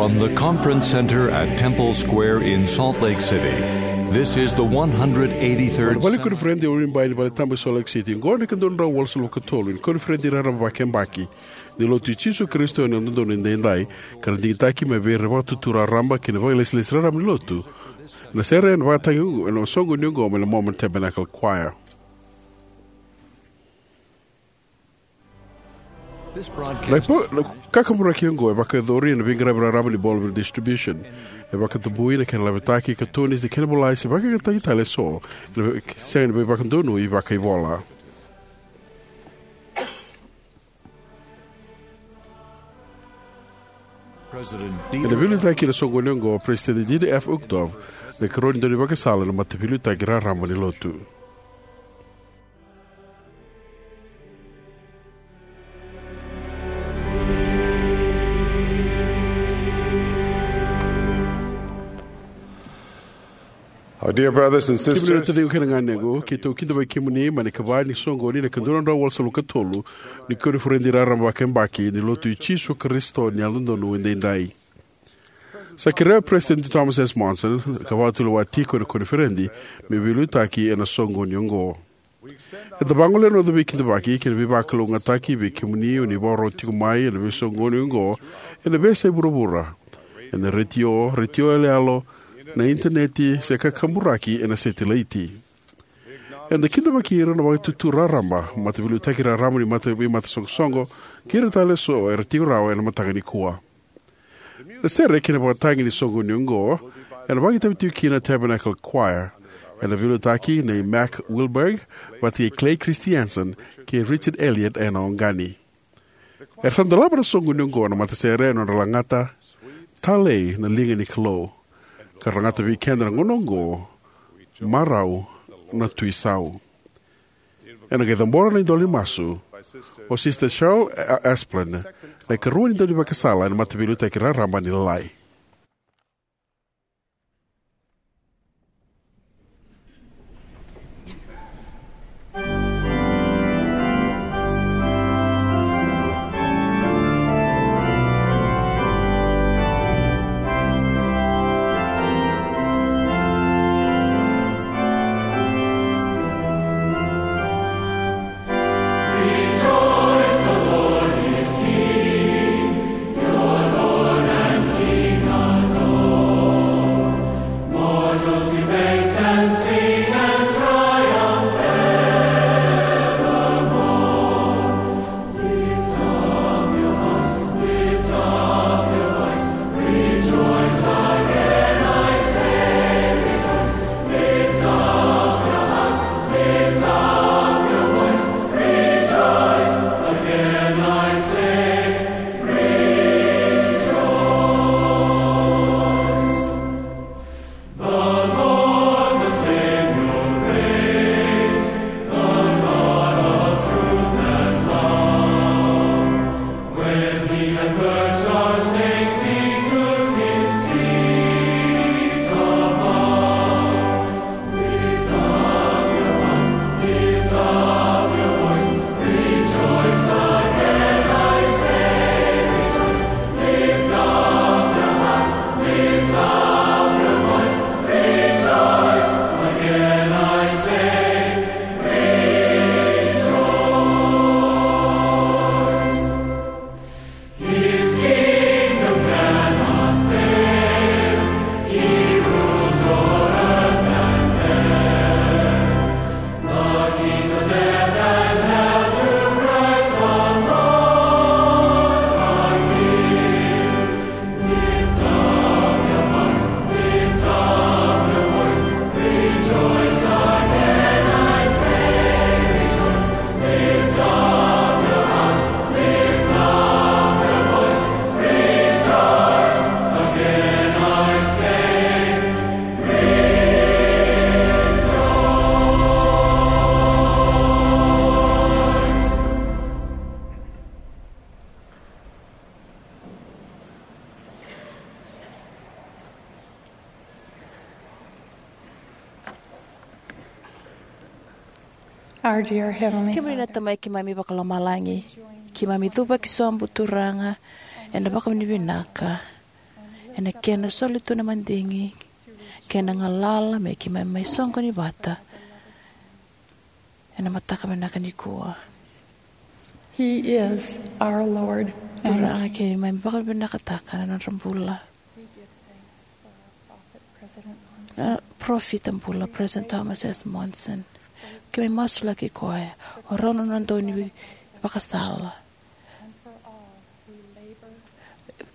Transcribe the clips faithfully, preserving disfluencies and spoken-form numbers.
From the Conference Center at Temple Square in Salt Lake City, this is the one hundred eighty-third Vale ni koniferedi o Rimbai ni Vale Tabu i Salt Lake City. Qo na ika dua na drau walusagavulu ka tolu ni koniferedi raraba vakayabaki ni Lotu i Jisu Karisito ni Yalododonu Edaidai, ka na digitaki mai vei ira na vakatutu raraba kei na vakailesilesi raraba ni Lotu. Na sere ena vakatagi ena soqoni oqo mai na Mormon Tabernacle Choir. Na ipo-, na kakaburaki oqo e vakayacori ena veiqaravi raraba ni Bolivar Distribution. E vakatabui na kena lavetaki, katuni, se kena volai, se vakayagataki tale eso, na ve-, sega ni veivakadonui vakaivola. Ena veiliutaki ena soqoni oqo o President Dieter F. Uchtdorf, na ikarua ni daunivakasala ena mataveiliutaki raraba ni Lotu. Our dear brothers and sisters, kemuni na taciqu kei na ganequ, keitou kidavaki kemuni mai na ikava ni soqoni ena ika dua na drau walusagavulu ka tolu ni koniferedi raraba vakayabaki ni Lotu i Jisu Karisito ni Yalododonu Edaidai. Sa kerea o President Thomas S. Monson, ka vakatulewa tiko ena koniferedi, me veiliutaki ena soqoni oqo. Eda vagolea na noda veikidavaki kei na veivakalougatataki vei kemuni o ni vakarorogo tiko mai ena veisoqoni oqo ena veiyasai vuravura, ena retio, retio yaloyalo, na initaneti, se kakaburaki ena setilaiti. Eda kidavaki ira na vakatutu raraba, mataveiliutaki raraba ni mata, vei matasoqosoqo, kei ira tale eso era tiko rawa ena mataka nikua. Na sere kei na vakatagi ni soqoni oqo ena vakaitavi tiko kina na Tabernacle Choir. Ena veiliutaki nei Mac Wilberg vata kei Clay Christiansen kei Richard Elliott ena oqani. Era sa dolava na soqoni oqo na matasere ena nodra lagata Talei na Liga ni Kalou, ka ra lagata vei keda na gauna oqo Marau na Tui Sau. Ena qai cabora na idola ni masu o Sister Cheryl A-, Asplund, na ikarua ni daunivakasala ena mataveiliutaki raraba ni Lalai. Our dear Heavenly Father, kemuni na Tamai keimami vakalomalagi, keimami cuva ki sobu Turaga ena vakavinavinaka. ena kena soli tu na madigi kei na galala me keimami mai soqoni vata ena mataka vinaka nikua. He is our Lord. Turaga, keimami vakavinavinakataka na nodra bula. We give thanks for our prophet, President Thomas. Na parofita bula, President Thomas S. Monson. Keimami masulaki koya, o rau na nona dau ni vakasala. And for all who labor.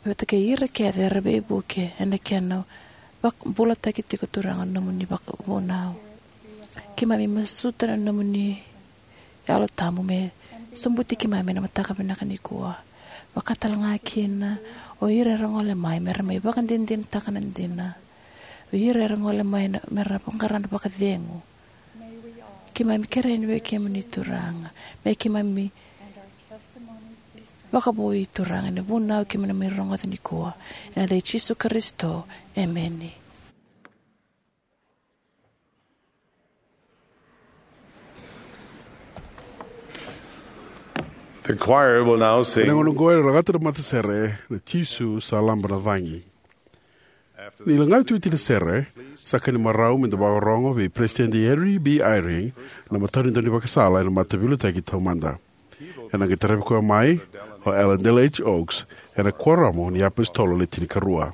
Vata kei ira kece era veivuke ena kena vak-, bulataki tiko, Turaga, na nomuni vakavunau. Keimami masuta na nomuni Yalo Tabu me sobuti keimami ena mataka vinaka nikua. Vaka tale ga kina o ira era gole mai me ra mai vakadinadinataka na dina. O ira era gole mai na, me ra vaqara na vakacegu. Keimami kerei vei kemuni, Turaga, me keimami vakavoui, Turaga, ena vunau keimami mai rogoca nikua. Ena yaca i Jisu Karisito, emeni. The choir will now sing. Ena gauna oqo era lagata na matasere na Jisu sa Laba na Cagi. Ni lagati oti na sere, sa ka ni marau meda vakarorogo vei Peresitedi Henry B. Eyring, na matanitu ni vakasala ena Mataveiliutaki Taumada. Ena qai taravi koya mai o Elder Dallin H. Oaks, ena Kuoramu ni iApositolo Le Tinikarua.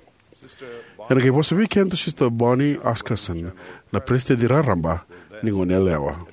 Ena qai vosa vei keda o Sister Bonnie Oscarson, na Peresitedi Raraba ni Goneyalewa.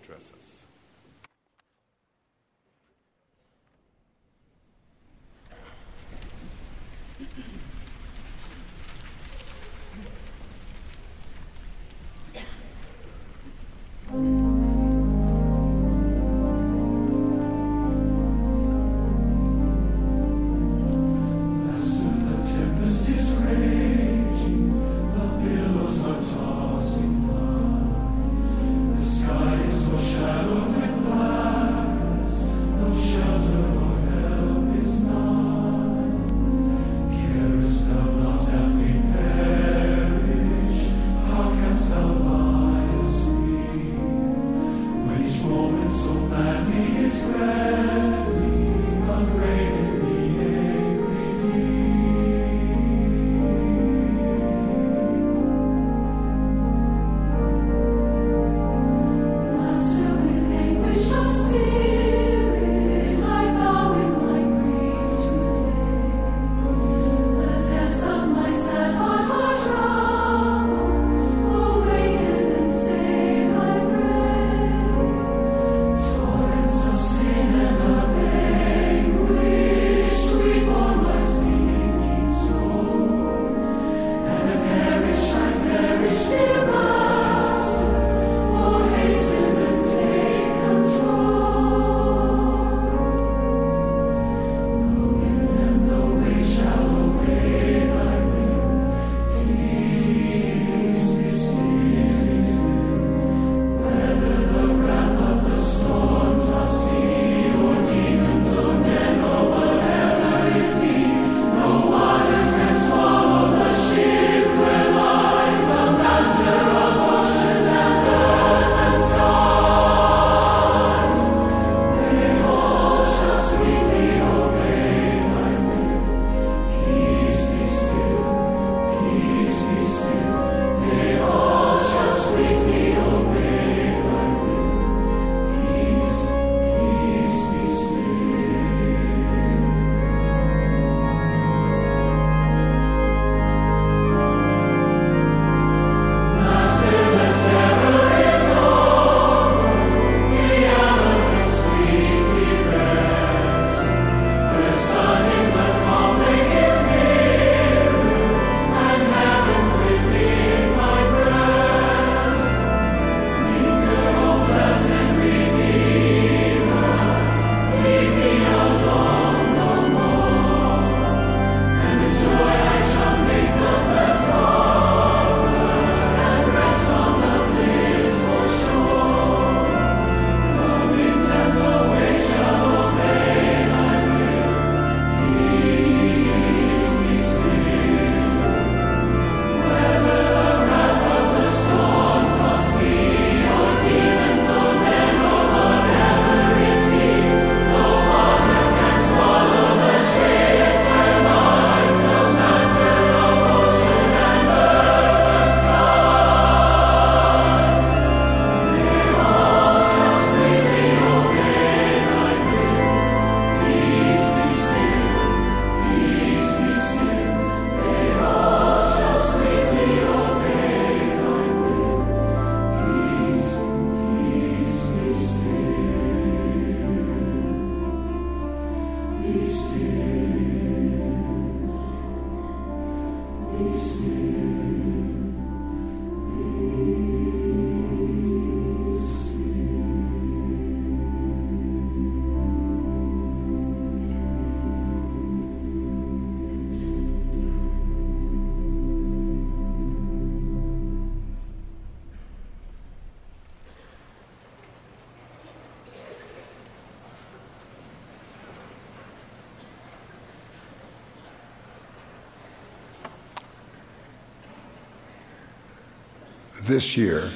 This year,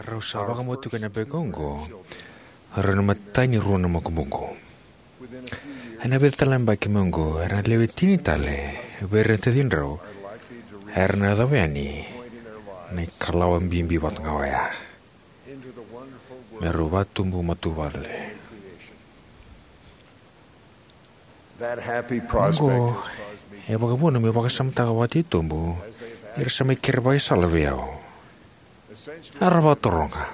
rau sa vakamau tiko ena veka oqo rau na matai ni rua na makubuqu. Ena vica tale na yabaki mai oqo, era na lewe tini tale vei ira na tacidrau era na yacova yani na ikalawa bibi vata ga oya, me rau vatubu matavuvale. That happy prospect Oqo has caused me e vakavuna meu vakasamataka vakatitobu ni ra sa mai kere vakaisala vei au. Era vakataroga,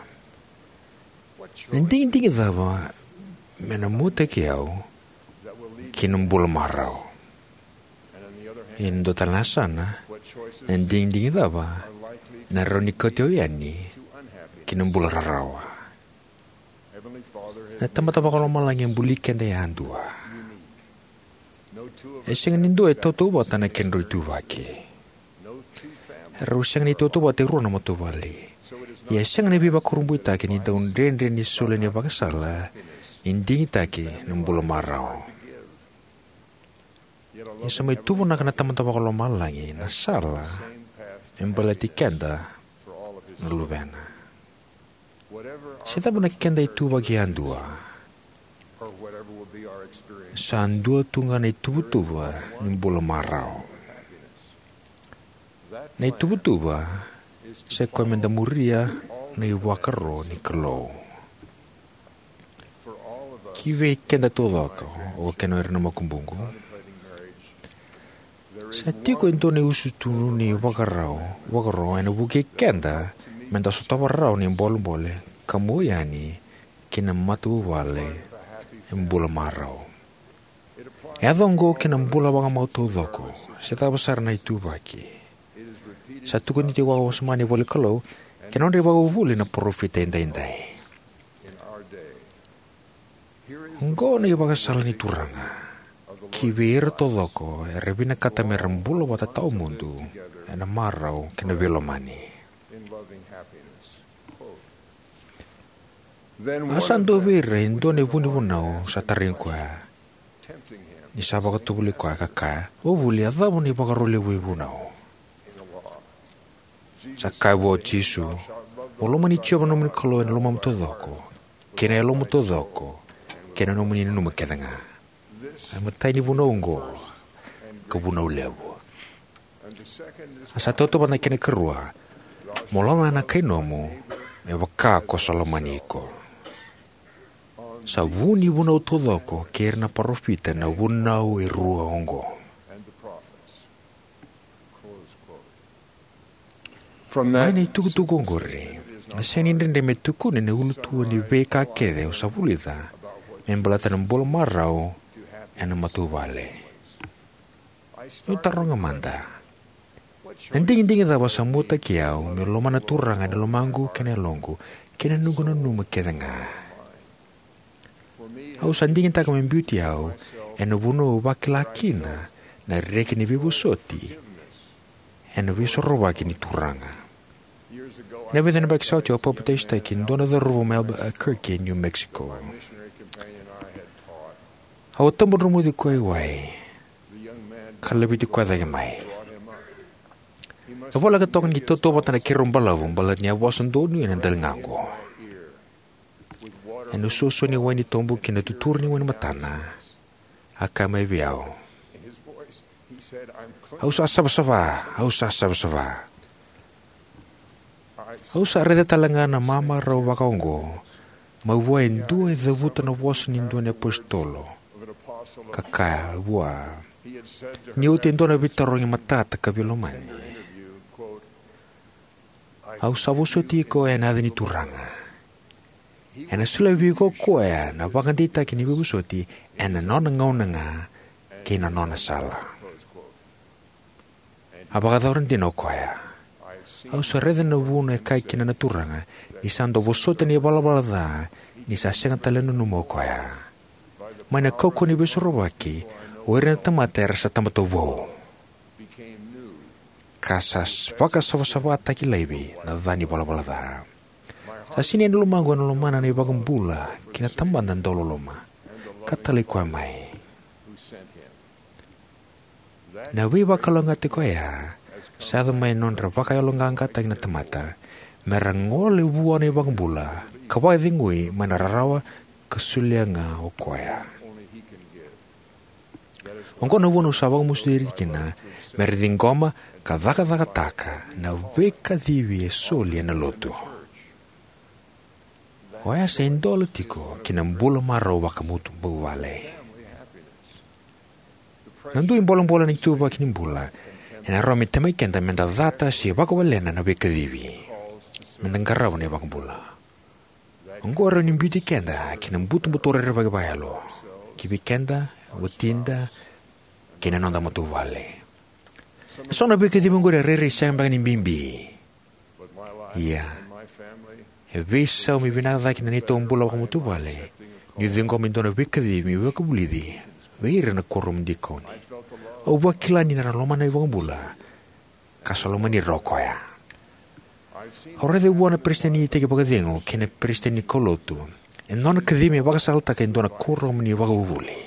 na digidigi cava me na muataki au ki na bula marau? Ena dua tale na yasana, na digidigi cava na rawa ni kauti au yani ki na bula rarawa? Na Tamada Vakalomalagi e buli keda yadua. E sega ni dua e tautauvata na kedrau ituvaki. Rau sega ni tautauvata e rua na matavuvale. Ia e sega ni veivakurabuitaki ni dau dredre ni soli na ivakasala ni digitaki na bula marau. Ia sa mai tuvanaka na Tamada Vakalomalagi na sala me baleti keda na luvena. Se cava na keda ituvaki yadua, sa dua tu ga na ituvatuva ni bula marau. Na ituvatuva sa ikoya me da muria na ivakaro ni Kalou. Ki vei keda taucoko, o kena o ira na makubuqu, sa tiko e dua na iusutu ni vakarau, vakaro ena vukei keda me da sotava rawa na ibolebole ka mua yani ki na matavuvale e bula marau. E yaco oqo ki na bula vakamau taucoko, se cava sara na ituvaki. Sa tukuni tiko vakawasoma ena ivola ni Kalou kei na nodra ivakavuvuli na parofita edaidai. Oqo na ivakasala ni Turaga ki vei ira taucoko era vinakata me ra bula vata tawamudu ena marau kei na veilomani. A sa dua vei ira e dua na ivunivunau sa tarai koya, ni sa vakatovolei koya ka kaya, "O vuli, a cava na ivakaro levu e vunau?" Sa kaya vua o Jisu, "Mo lomani Jiova na nomuni Kalou ena lomamu taucoko, kei na yalomu taucoko, kei na nomuni nanuma kece ga. A matai ni vunau oqo, ka vunau levu. A sa tautauvata na kena ikarua, mo lomana na kainomu me vaka ko sa lomani iko." Sa vu ni vunau taucoko kei ira na parofita na vunau e rua oqo. Mai na itukutuku oqori, na sega ni dredre me tukuni na ulutua ni veika kece au sa vulica me baleta na bula marau ena matavuvale. Meu taroga mada, na digidigi cava sa muataki au meu lomana na Turaga ena lomaqu kei na yaloqu kei na noqu nanuma kece ga? Au sa digitaka me biuti au ena vanua au vakila kina na reki ni veivosoti ena Veisorovaki ni Turaga. Ena vica na yabaki sa oti au a papitaisotaki e dua na cauravou mai Albuquerque, New Mexico. Au a tabadromuci koya e wai ka laveti koya cake mai. E voleka toka ni tautauvata na keirau balavu baleta ni a vosa donuya na daligaqu. Ena suasua ni wai ni tobu kei na tuturu ni wai ni matana, a kaya mai vei au, "Au sa savasava, au sa savasava. Au sa raica tale ga na mamarau vaka oqo mai vua e dua e cavuta na vosa ni dua na iapositolo, ka kaya vua ni oti e dua na veitarogi matata ka veilomani, 'Au sa vosoti iko ena yaca ni Turaga. Ena solia vei iko o koya na vakadeitaki ni veivosoti ena nona gauna ga kei na nona sala.'" A vakayacora dina o koya. Au sa raica na vuna e kaya kina na Turaga ni sa dau vosota na ivalavala ca ni sa sega tale ni nanuma o koya. Mai na kaukauwa ni Veisorovaki, o ira na tamata era sa tamata vou, ka sa vakasavasavataki laivi na ca ni valavala ca. Sa sinai na lomaqu ena lomana na iVakabula kei na Tamada dauloloma, ka talai koya mai. Na veivakalougatataki oya sa yaco mai na nodra vakayaloqaqataki na tamata, me ra gole vua na iVakabula ka vakacegui mai na rarawa ka solia ga o Koya. Oqo na vuna au sa vakamasuti ira kina me ra ciqoma ka cakacakataka na veikacivi e soli ena Lotu. Oya sa idola tiko ki na bula marau vakamatavuvale. Na dui bolebole ena ituvaki ni bula ena rawa me temaki keda me da cata se vakawalena na veikacivi. Me da qarava na iVakabula. Oqo e rawa ni biuti keda ki na butobuto rerevaki vakayalo, ki vei keda, watida, kei na noda matavuvale. Eso na veikacivi oqori e rairai sega beka ni bibi. Ia, e veisau me vinaka cake na neitou bula vakamatavuvale niu ciqoma e dua na veikacivi meu vakavulici vei ira na kuoramu dikoni. Au vakila ni ra lomana na iVakabula, ka sa lomani ira o Koya. Au raica vua na peresitedi ni iteki vakacegu kei na peresitedi ni kaulotu e nona kacivi me vakasalataka e dua na kuoramu ni vakavuvuli.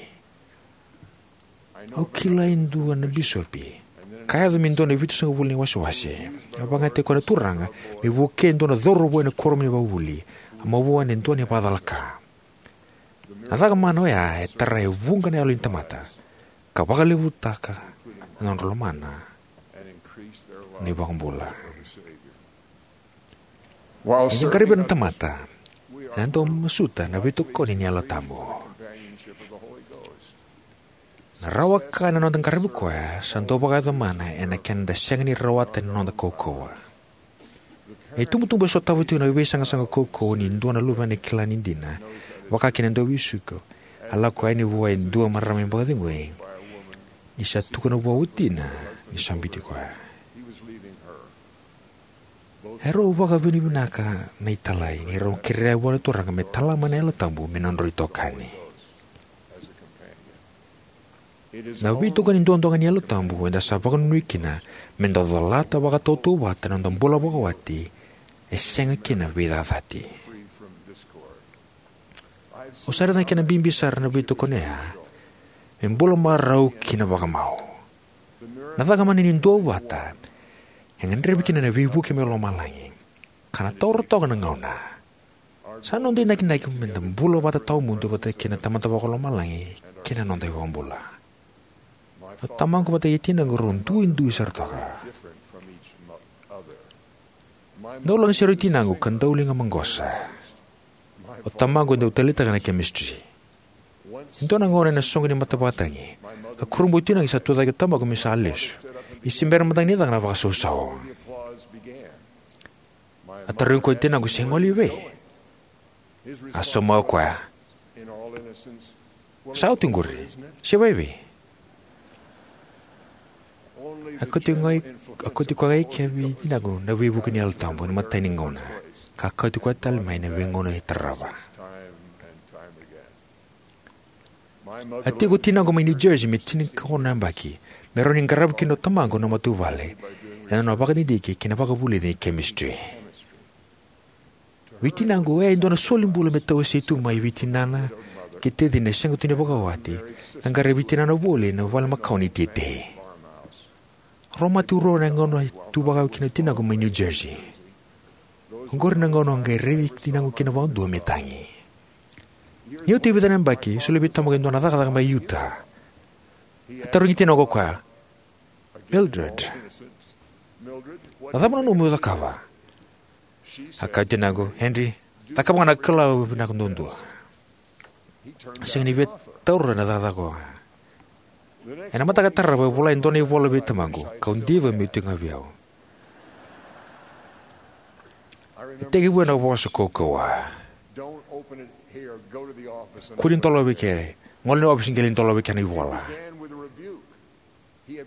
Au kila e dua na bisopi, ka yaco me dua na vitusagavulu ni wasewase. A vakayagataki koya na Turaga me vukei e dua na cauravou ena kuoramu ni vakavuvuli, a mavoa ena dua na ivakacalaka. Na caka mana oya e tara e vuqa na yalo ni tamata ka vakalevutaka na nodra lomana na iVakabula. Ni da qaravi ira na tamata, eda dau masuta na veitokoni ni Yalo Tabu. Na rawa ka ena noda qaravi Koya sa dau vakayaco mana ena kena da sega ni rawata ena noda kaukauwa. Na itubutubu e sotava tiko na veisaqasaqa kaukauwa ni dua na luvena e kila ni dina, vaka kina e dua vei suku, a lako yani vua e dua marama me vakacegui, ni sa tukuna vua o watina ni sa biuti koya. Erau vakavinavinaka na italai ni rau kerea vua na Turaga me tala mai na Yalo Tabu me nodrau itokani. Na veitokoni duadua ga ni Yalo Tabu eda sa vakanuinui kina me da colata vakatautauvata na noda bula vakawati e sega kina veicacati. Au sa raica na kena bibi sara na veitokoni oya me bula marau kina vakamau. Na caka mana ni duavata e gadrevi kina na veivuke mai lomalagi, ka na taura toka na gauna. Sa noda inakinaki me da bula vata tawamudu vata kei na Tamada Vakalomalagi kei na noda iVakabula. O tamaqu vata kei tinaqu rau duidui sara toka. Dau lagasere o tinaqu ka dau liga maqosa. O tamaqu e dau taleitaka na chemistry. E dua na gauna ena soqo ni matavakatagi, a kurabui o tinaqu ni sa tucake o tamaqu me sa lesu, ni se bera mada ga ni caka na vakasausau. A tarogi koya o tinaqu se gole i vei. A sauma o koya, "Sa oti qori, se vaivei?" A kauti koya ga i ke vei tinaqu na veivuke ni Yalo Tabu ena imatai ni gauna, ka kauti koya tale mai ena veigauna e tarava. A tiko o tinaqu mai New Jersey me tinikaono na yabaki, me rawa ni qarava kina o tamaqu na matavuvale ena nona vakadidike ki na vakavulici ni chemistry. Vei tinaqu, oya e dua na solibula me tawasei tu mai vei tinana kei tacina e sega tu ni vakawati, ka qaravi tinana voli ena vale makawa ni teitei. Rau mate ruarua ena gauna e tu vakau kina o tinaqu mai New Jersey. Oqori na gauna au qai raici tinaqu kina vakadua me tagi. Ni oti e vica na yabaki, solia vei tamaqu e dua na cakacaka mai Utah. A tarogi tinaqu o koya, "Mildred, na cava na nomu cakava?" A kaya o tinaqu, "Henry, cakava ga na Kalou vinaka duadua." Sega ni via taura na cakacaka oya. Ena mataka tarava, e vola e dua na ivola vei tamaqu, kau diva meu tiko ga vei au. E tekivu ena vosa kaukauwa, "Kua ni dolavi eke, gole ina ofisi qai lai dolavi eke na ivola."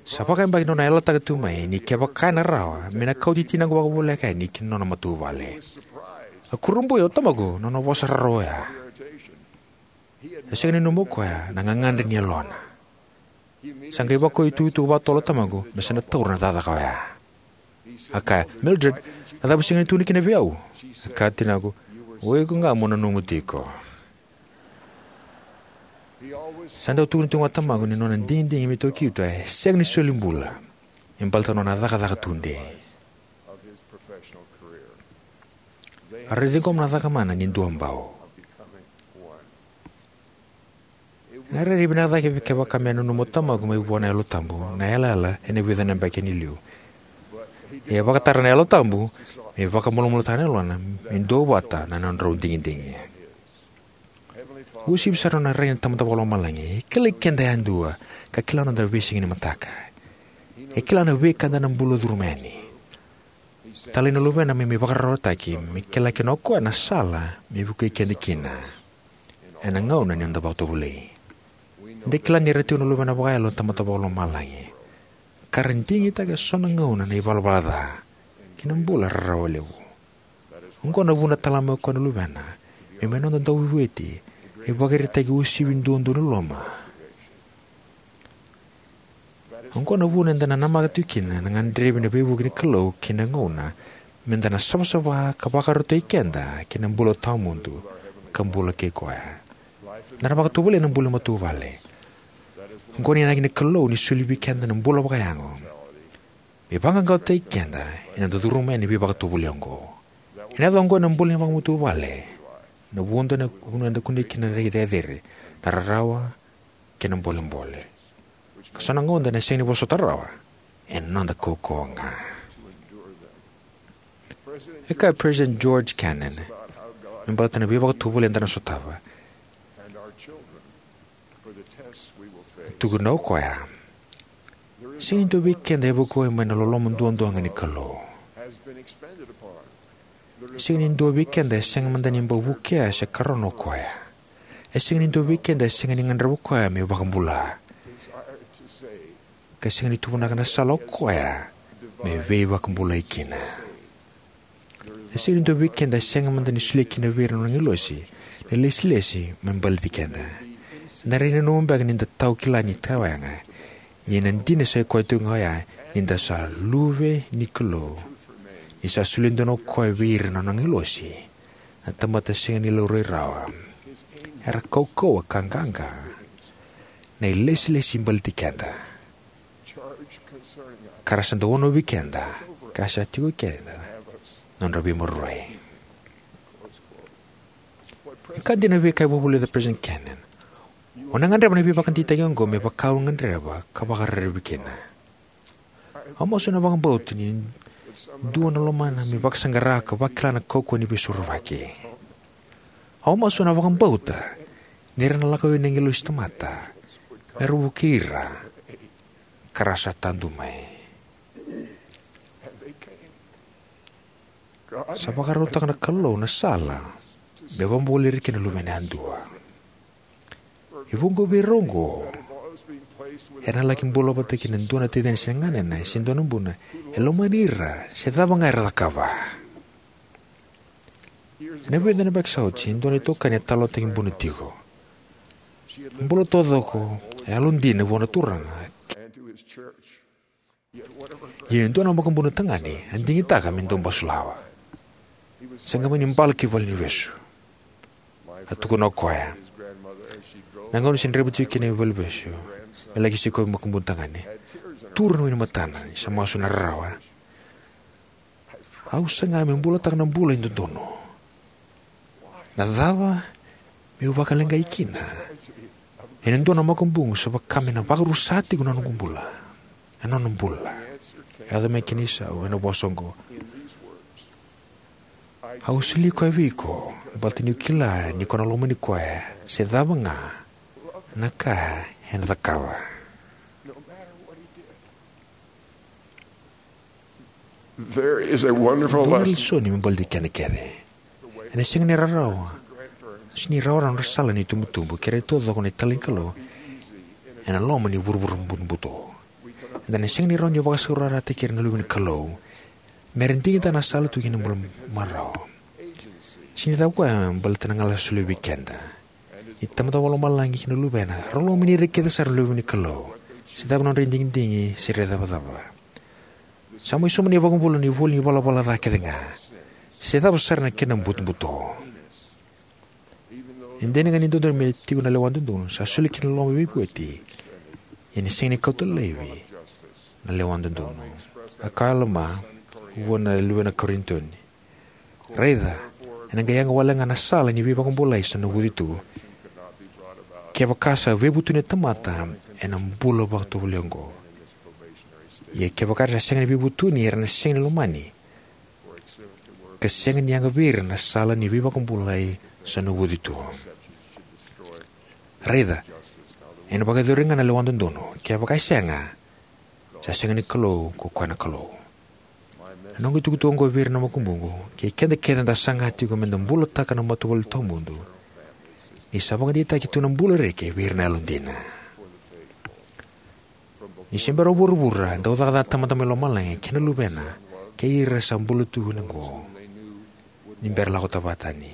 Sa vakayabaki na nona yalataka tu mai ni kevaka ena rawa, me na kauti tinaqu vakavoleka yani ki na nona matavuvale. A kurabui o tamaqu na nona vosa rarawa oya. E sega ni nanuma o koya na gagadre ni yalona. Sa qai vakaitukutuku vakatotolo o tamaqu me sa na taura na cakacaka oya. A kaya, "Mildred, na cava o sega ni tukuna kina vei au?" A kaya o tinaqu, "O iko ga mo nanuma tiko." Sa dau tukuna tiko ga o tamaqu ni nona digidigi me taukei Utah e sega ni soli bula, e baleta na nona cakacaka tudei. A raici komu na cakamana ni duabau. Na rairai vinaka cake kevaka me nanuma o tamaqu mai vua na Yalo Tabu na yalayala ena vica na yabaki ni liu. Ia e vakatara na Yalo Tabu me vakamalumalumutaka na yalona me duavata na nodrau digidigi. Uasivi sara na nona rai na Tamada Vakalomalagi. E kilai keda yadua ka kila na noda veisiga ni mataka. E kila na veika eda na bula curuma yani. Talai na Luvena me mai vakararawataki me kila kina o koya na sala me vukei keda kina ena gauna ni noda vakatovolei. Eda kila ni ra tiko na luvena vakayalo na Tamada Vakalomalagi ka ra digitaka eso na gauna na ivalavala ca kei na bula rarawa levu. Oqo na vuna e tala mai o koya na Luvena me mai noda Dauveivueti, me ivakaraitaki uasivi duadua ni loloma. Oqo na vuna eda na namaka tiko kina na gadrevi na veivuke ni Kalou kei na gauna me da na savasava ka vakarautaki keda ki na bula tawamudu ka bula kei koya. Da na vakatovolei na bula ni matavuvale. Oqo na inaki ni Kalou ni soli vei keda na bula vakayago me vaqaqacotaki keda ena noda curuma yani na veivakatovolei oqo. Ena yaco oqo ena bula ni vakamatavuvale na vanua eda kunea kina na reki cecere, na rarawa kei na bolebole, ka so na gauna eda na sega ni vosota rawa ena noda kaukauwa ga. E kaya o President George Cannon me baleta na veivakatovolei eda na sotava. E tukuna o koya: "Sega ni dua vei keda e vukei mai na loloma duadua ga ni Kalou. E sega ni dua vei keda e sega mada ni bau vukea se karona o koya. E sega ni dua vei keda e sega ni gadreva o koya me vakabula, ka sega ni tuvanaka na sala o koya me veivakabulai kina. E sega ni dua vei keda e sega mada ni solia kina vei ira na nona agilosi na ilesilesi me baleti keda. Eda na nanuma beka ni da tau kila ni tawayaya, ia na dina sa i koya tiko ga oya ni da sa luve ni Kalou, ni sa solia donu o koya vei ira na nona agilosi, na tamata sega ni laurai rawa, era kaukauwa ka qaqa, na ilesilesi baleti keda, ka ra sa dau wanovi keda, ka sa tiko kina na nodra veimaroroi." E ka dina na veika e vakavulica o President Cannon. O na gadreva na veivakadeitaki oqo me vaka o gadreva ka vakararavi kina. Au masu ena vakabauta ni dua na lomana me vakasaqara ka vakila na kaukauwa ni veisorovaki. Au masu ena vakabauta ni ra na lako vei na agilosi tamata me ra vukei ira, ka ra sa tadu mai. Sa vakarautaka na Kalou na sala me vakabulai ira kina na luvena yadua. E vuqa vei ira oqo era na laki bula vata kei na dua na taciani se ganena se dua na buna e lomani ira se cava ga era cakava. Ena vica na yabaki sa oti, e dua na itokani e talanoataki buna tiko. Bula taucoko e yalodina vua na Turaga. Ia e dua na makubuna tagane a digitaka me dau basulawa. Sa qai mai ni bala ki valenivesu, a tukuna o koya. Na gauna se draiva tiko kina i valenivesu me laki sikovi makubuna tagane, tura na wainimatana ni sa masu na rarawa. Au saga meu bulataka na bula e dodonu. Na cava meu vakaleqai kina ena dua na makubuqu sa vaka me na vakarusa tiko na noqu bula, na nona bula? E yaco mai kina isau ena vosa oqo: Au solia koya vei iko baleta niu kila ni ko na lomani koya se cava ga na ka ena cakava. There is a wonderful Dua na lesson. Lesoni me baleti keda kece. Ena sega ni rarawa, sega ni rawarawa na sala ni tubutubu kei ira taucoko na italai ni Kalou ena loma ni vuravura butobuto. Eda na sega ni rawa ni vakasaurarataki ira na luve ni Kalou me ra digitaka na sala tu kina bula marau. Sega ni cava koya baleta na galala sa solia vei keda. Ni Tamada Vakalomalagi kei na Luvena, rau lomani ira kece sara na luve ni Kalou, se cava na nodra digidigi se ira cavacava. Sa mai sauma na iVakabula na ivoli ni valavala ca kece ga, se cava sara na kena butobuto. E dina ga ni dodonu me tiko na lewa dodonu, sa soli kina na loma veivueti, ia ni sega ni kauta laivi na lewa dodonu. A kaya o Alama vua na luvena Korinica: Raica, Ena qai yaga wale ga na sala ni veivakabulai sa navuci tu, kevaka sa veivutuni na tamata ena bula vakatovolei oqo. Ia kevaka era sa sega ni veivutuni, era na sega ni lomani, ka sega ni yaga vei ira na sala ni veivakabulai sa navuci tu. Raica, ena vakayacori ga na lewa dodonu. Kevaka e sega, sa sega ni Kalou ko koya na Kalou. Na noqu itukutuku oqo vei ira na makubuqu kei keda kece eda saga tiko meda bulataka na matavuvale tawamudu, ni sa vakadeitaki tu na bula reki vei ira na yalodina. Ni se bera o vuravura, dau cakacaka na Tamada mai lomalagi kei na Luvena kei ira sa bula tu ena qo, ni bera lako tani.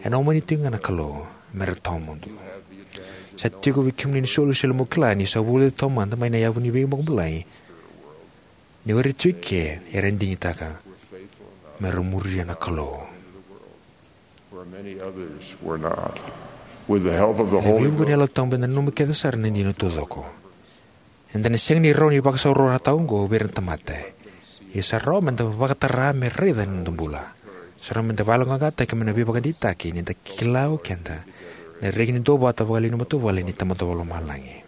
Ena omani tiko ga na Kalou me ra tawamudu. Sa tiko vei kemuni na isolisoli mo kila ni sa vulica taumada mai na yavu ni veivakabulai ni o ira tiko eke era digitaka me ra muria na Kalou. Where many others were not. With the help of the Holy Ghost. Veivuke ni Yalo Tabu eda nanuma kece sara na dina taucoko. Eda na sega ni rawa ni vakasaurarataka oqo vei ira na tamata. Ia sa rawa meda vakatara me raica ena noda bula. Sa rawa meda vakayaloqaqataki mai na veivakadeitaki ni da kila o keda na reki ni duavata vakalewe ni matavuvale ni Tamada Vakalomalagi.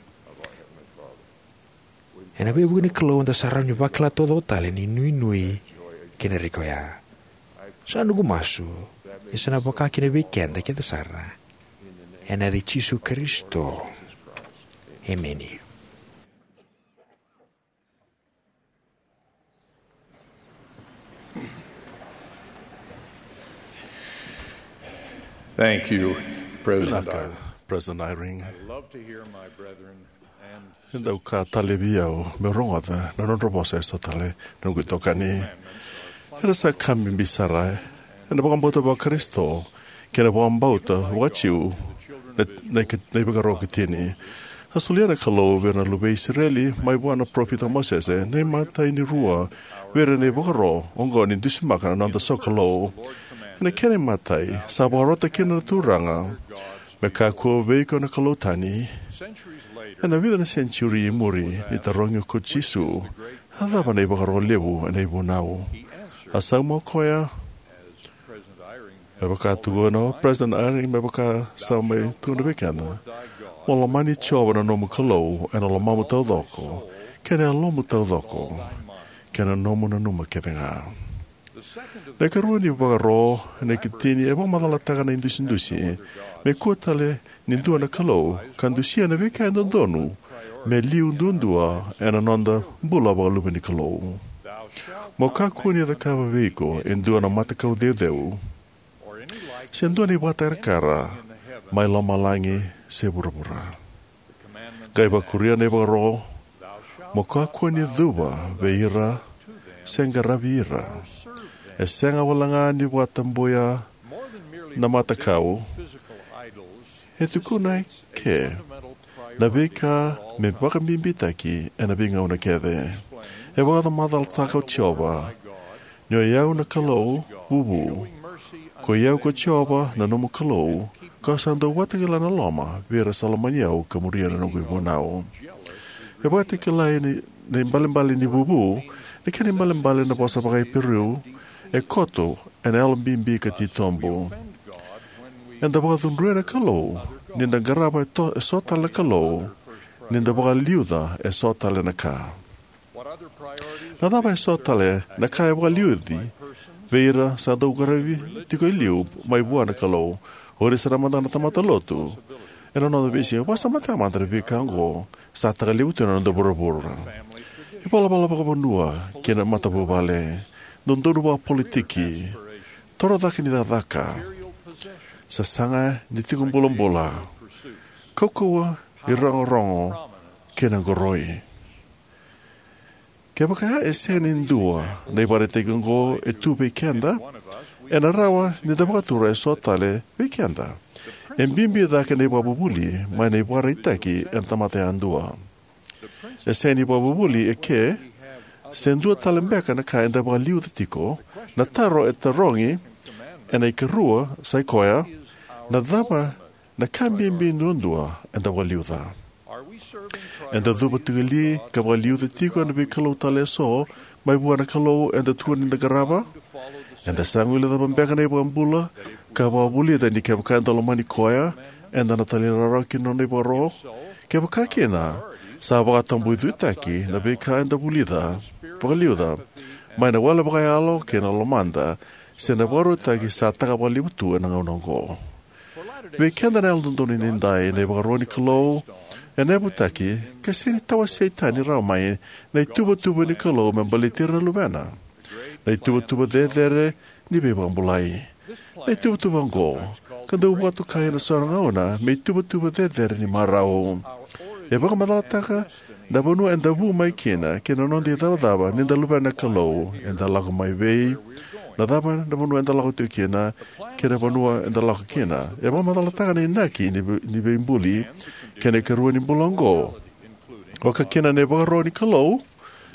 Ena veivuke ni Kalou eda sa rawa ni vakila taucoko tale na inuinui kei na reki oya. Sa noqu masu ni sa na vaka kina vei keda kece sara. Ena yaca i Jisu Karisito. Emeni. Thank you, President Vinaka, Eyring. President Eyring. I love to hear my brethren and E dau ka tale vei au meu rogoca na nodra vosa eso tale na noqu itokani. Era sa ka bibi sara ena vakabauta vaKarisito kei na vakabauta vakaJiu na, na, na ivakaro ikatini. A solia na Kalou vei ira na luve i Isireli mai vua na parofita o Mosese na imatai ni rua vei ira na ivakaro oqo ni dusimaka na noda sokalou. Ena kena imatai, sa vakarota kina na Turaga me kakua vei iko na kalou tani. Ena vica na senitiuri i muri, ni tarogi ko Jisu, a cava na ivakaro levu ena ivunau? A sauma o koya, me vaka tukuna o President Eyring, me vaka sa mai tukuna vei keda, mo lomani Jiova na nomu Kalou ena lomamu taucoko, kei na yalomu taucoko, kei na nomu nanuma kece ga. Na ikarua ni vakaro ena ikatini e vakamacalataka na idusidusi me kua tale ni dua na Kalou, ka dusia na veika e dodonu me liu duadua ena noda bula vakaluve ni Kalou. Mo kakua ni cakava vei iko e dua na matakau ceuceu, se dua na ivakatakarakara mai lomalagi se vuravura. Qai vakuria na ivakaro, mo kakua ni cuva vei ira, se qaravi ira. E sega walega ni vakatabuya na matakau. E tukuna eke na veika me vakabibitaki ena veigauna kece. E vakamacalataka o Jiova, ni o i au na Kalou vuvu. Ko i au ko Jiova na nomu Kalou, kau sa dau vakatakila na loma vei ira sa lomani au ka muria na noqu ivunau. E vakatakilai na, na ibalebale ni vuvu, na kena ibalebale na vosa vakaIperiu, e koto ena yalo bibi ka titobu. Eda vakacudruya na Kalou ni da qarava e to-, eso tale na Kalou, ni da vakaliuca eso tale na ka. Na cava eso tale na ka e vakaliuci vei ira sa dau qaravi tiko e liu mai vua na Kalou, o ira sara mada na tamata lotu? Ena noda veisiga, vakasamataka mada na veika oqo sa taka levu tu ena noda vuravura. Ivalavala vakavanua kei na matavuvale, dodonu vakapolitiki, torocake ni cakacaka, sasaga ni tiko bulabula, kaukauwa, irogorogo, kei na qoroi. Kevaka e sega ni dua na ivakaraitaki oqo e tu vei keda, ena rawa ni da vakatura eso tale vei keda. E bibi cake na ivakavuvuli mai na ivakaraitaki ena tamata yadua. E sega ni ivakavuvuli eke, se dua tale beka na ka eda vakaliuca tiko. Na taro e tarogi ena ikarua sa i koya, na cava na ka bibi duadua eda vakaliuca? Eda cuva tiko li ka vakaliuca tiko na veikalou tale eso mai vua na Kalou eda tukuna ni da qarava? Eda sa guilecava beka na iVakabula ka vakavulica ni kevaka eda lomani Koya, eda na talairawarawa ki na Nona ivakaro? Kevaka kina, sa vakatabui-, vakatabuicutaki na veika eda vulica vakaliuca mai na wele vakayalo kei na lomada, se na vakarautaki sa taka vakalevu tu ena gauna oqo. Vei keda na Yalododonu Edaidai, na ivakaro ni Kalou ena yavutaki ka sega ni tawasei tani rawa mai na ituvatuva ni Kalou me baleti ira na Luvena, na ituvatuva cecere ni veivakabulai. Na ituvatuva oqo, ka dau vakatokai ena so na gauna me ituvatuva cecere ni marau, e vakamacalataka na vanua eda vu mai kina kei na noda icavacava ni da luvena na Kalou. Eda lako mai vei, na cava na vanua eda lako tiko kina, kei na vanua eda lako kina. E vakamacalataka na inaki ni ve-, ni veibuli kei na ikarua ni bula oqo, vaka kina na ivakaro ni Kalou,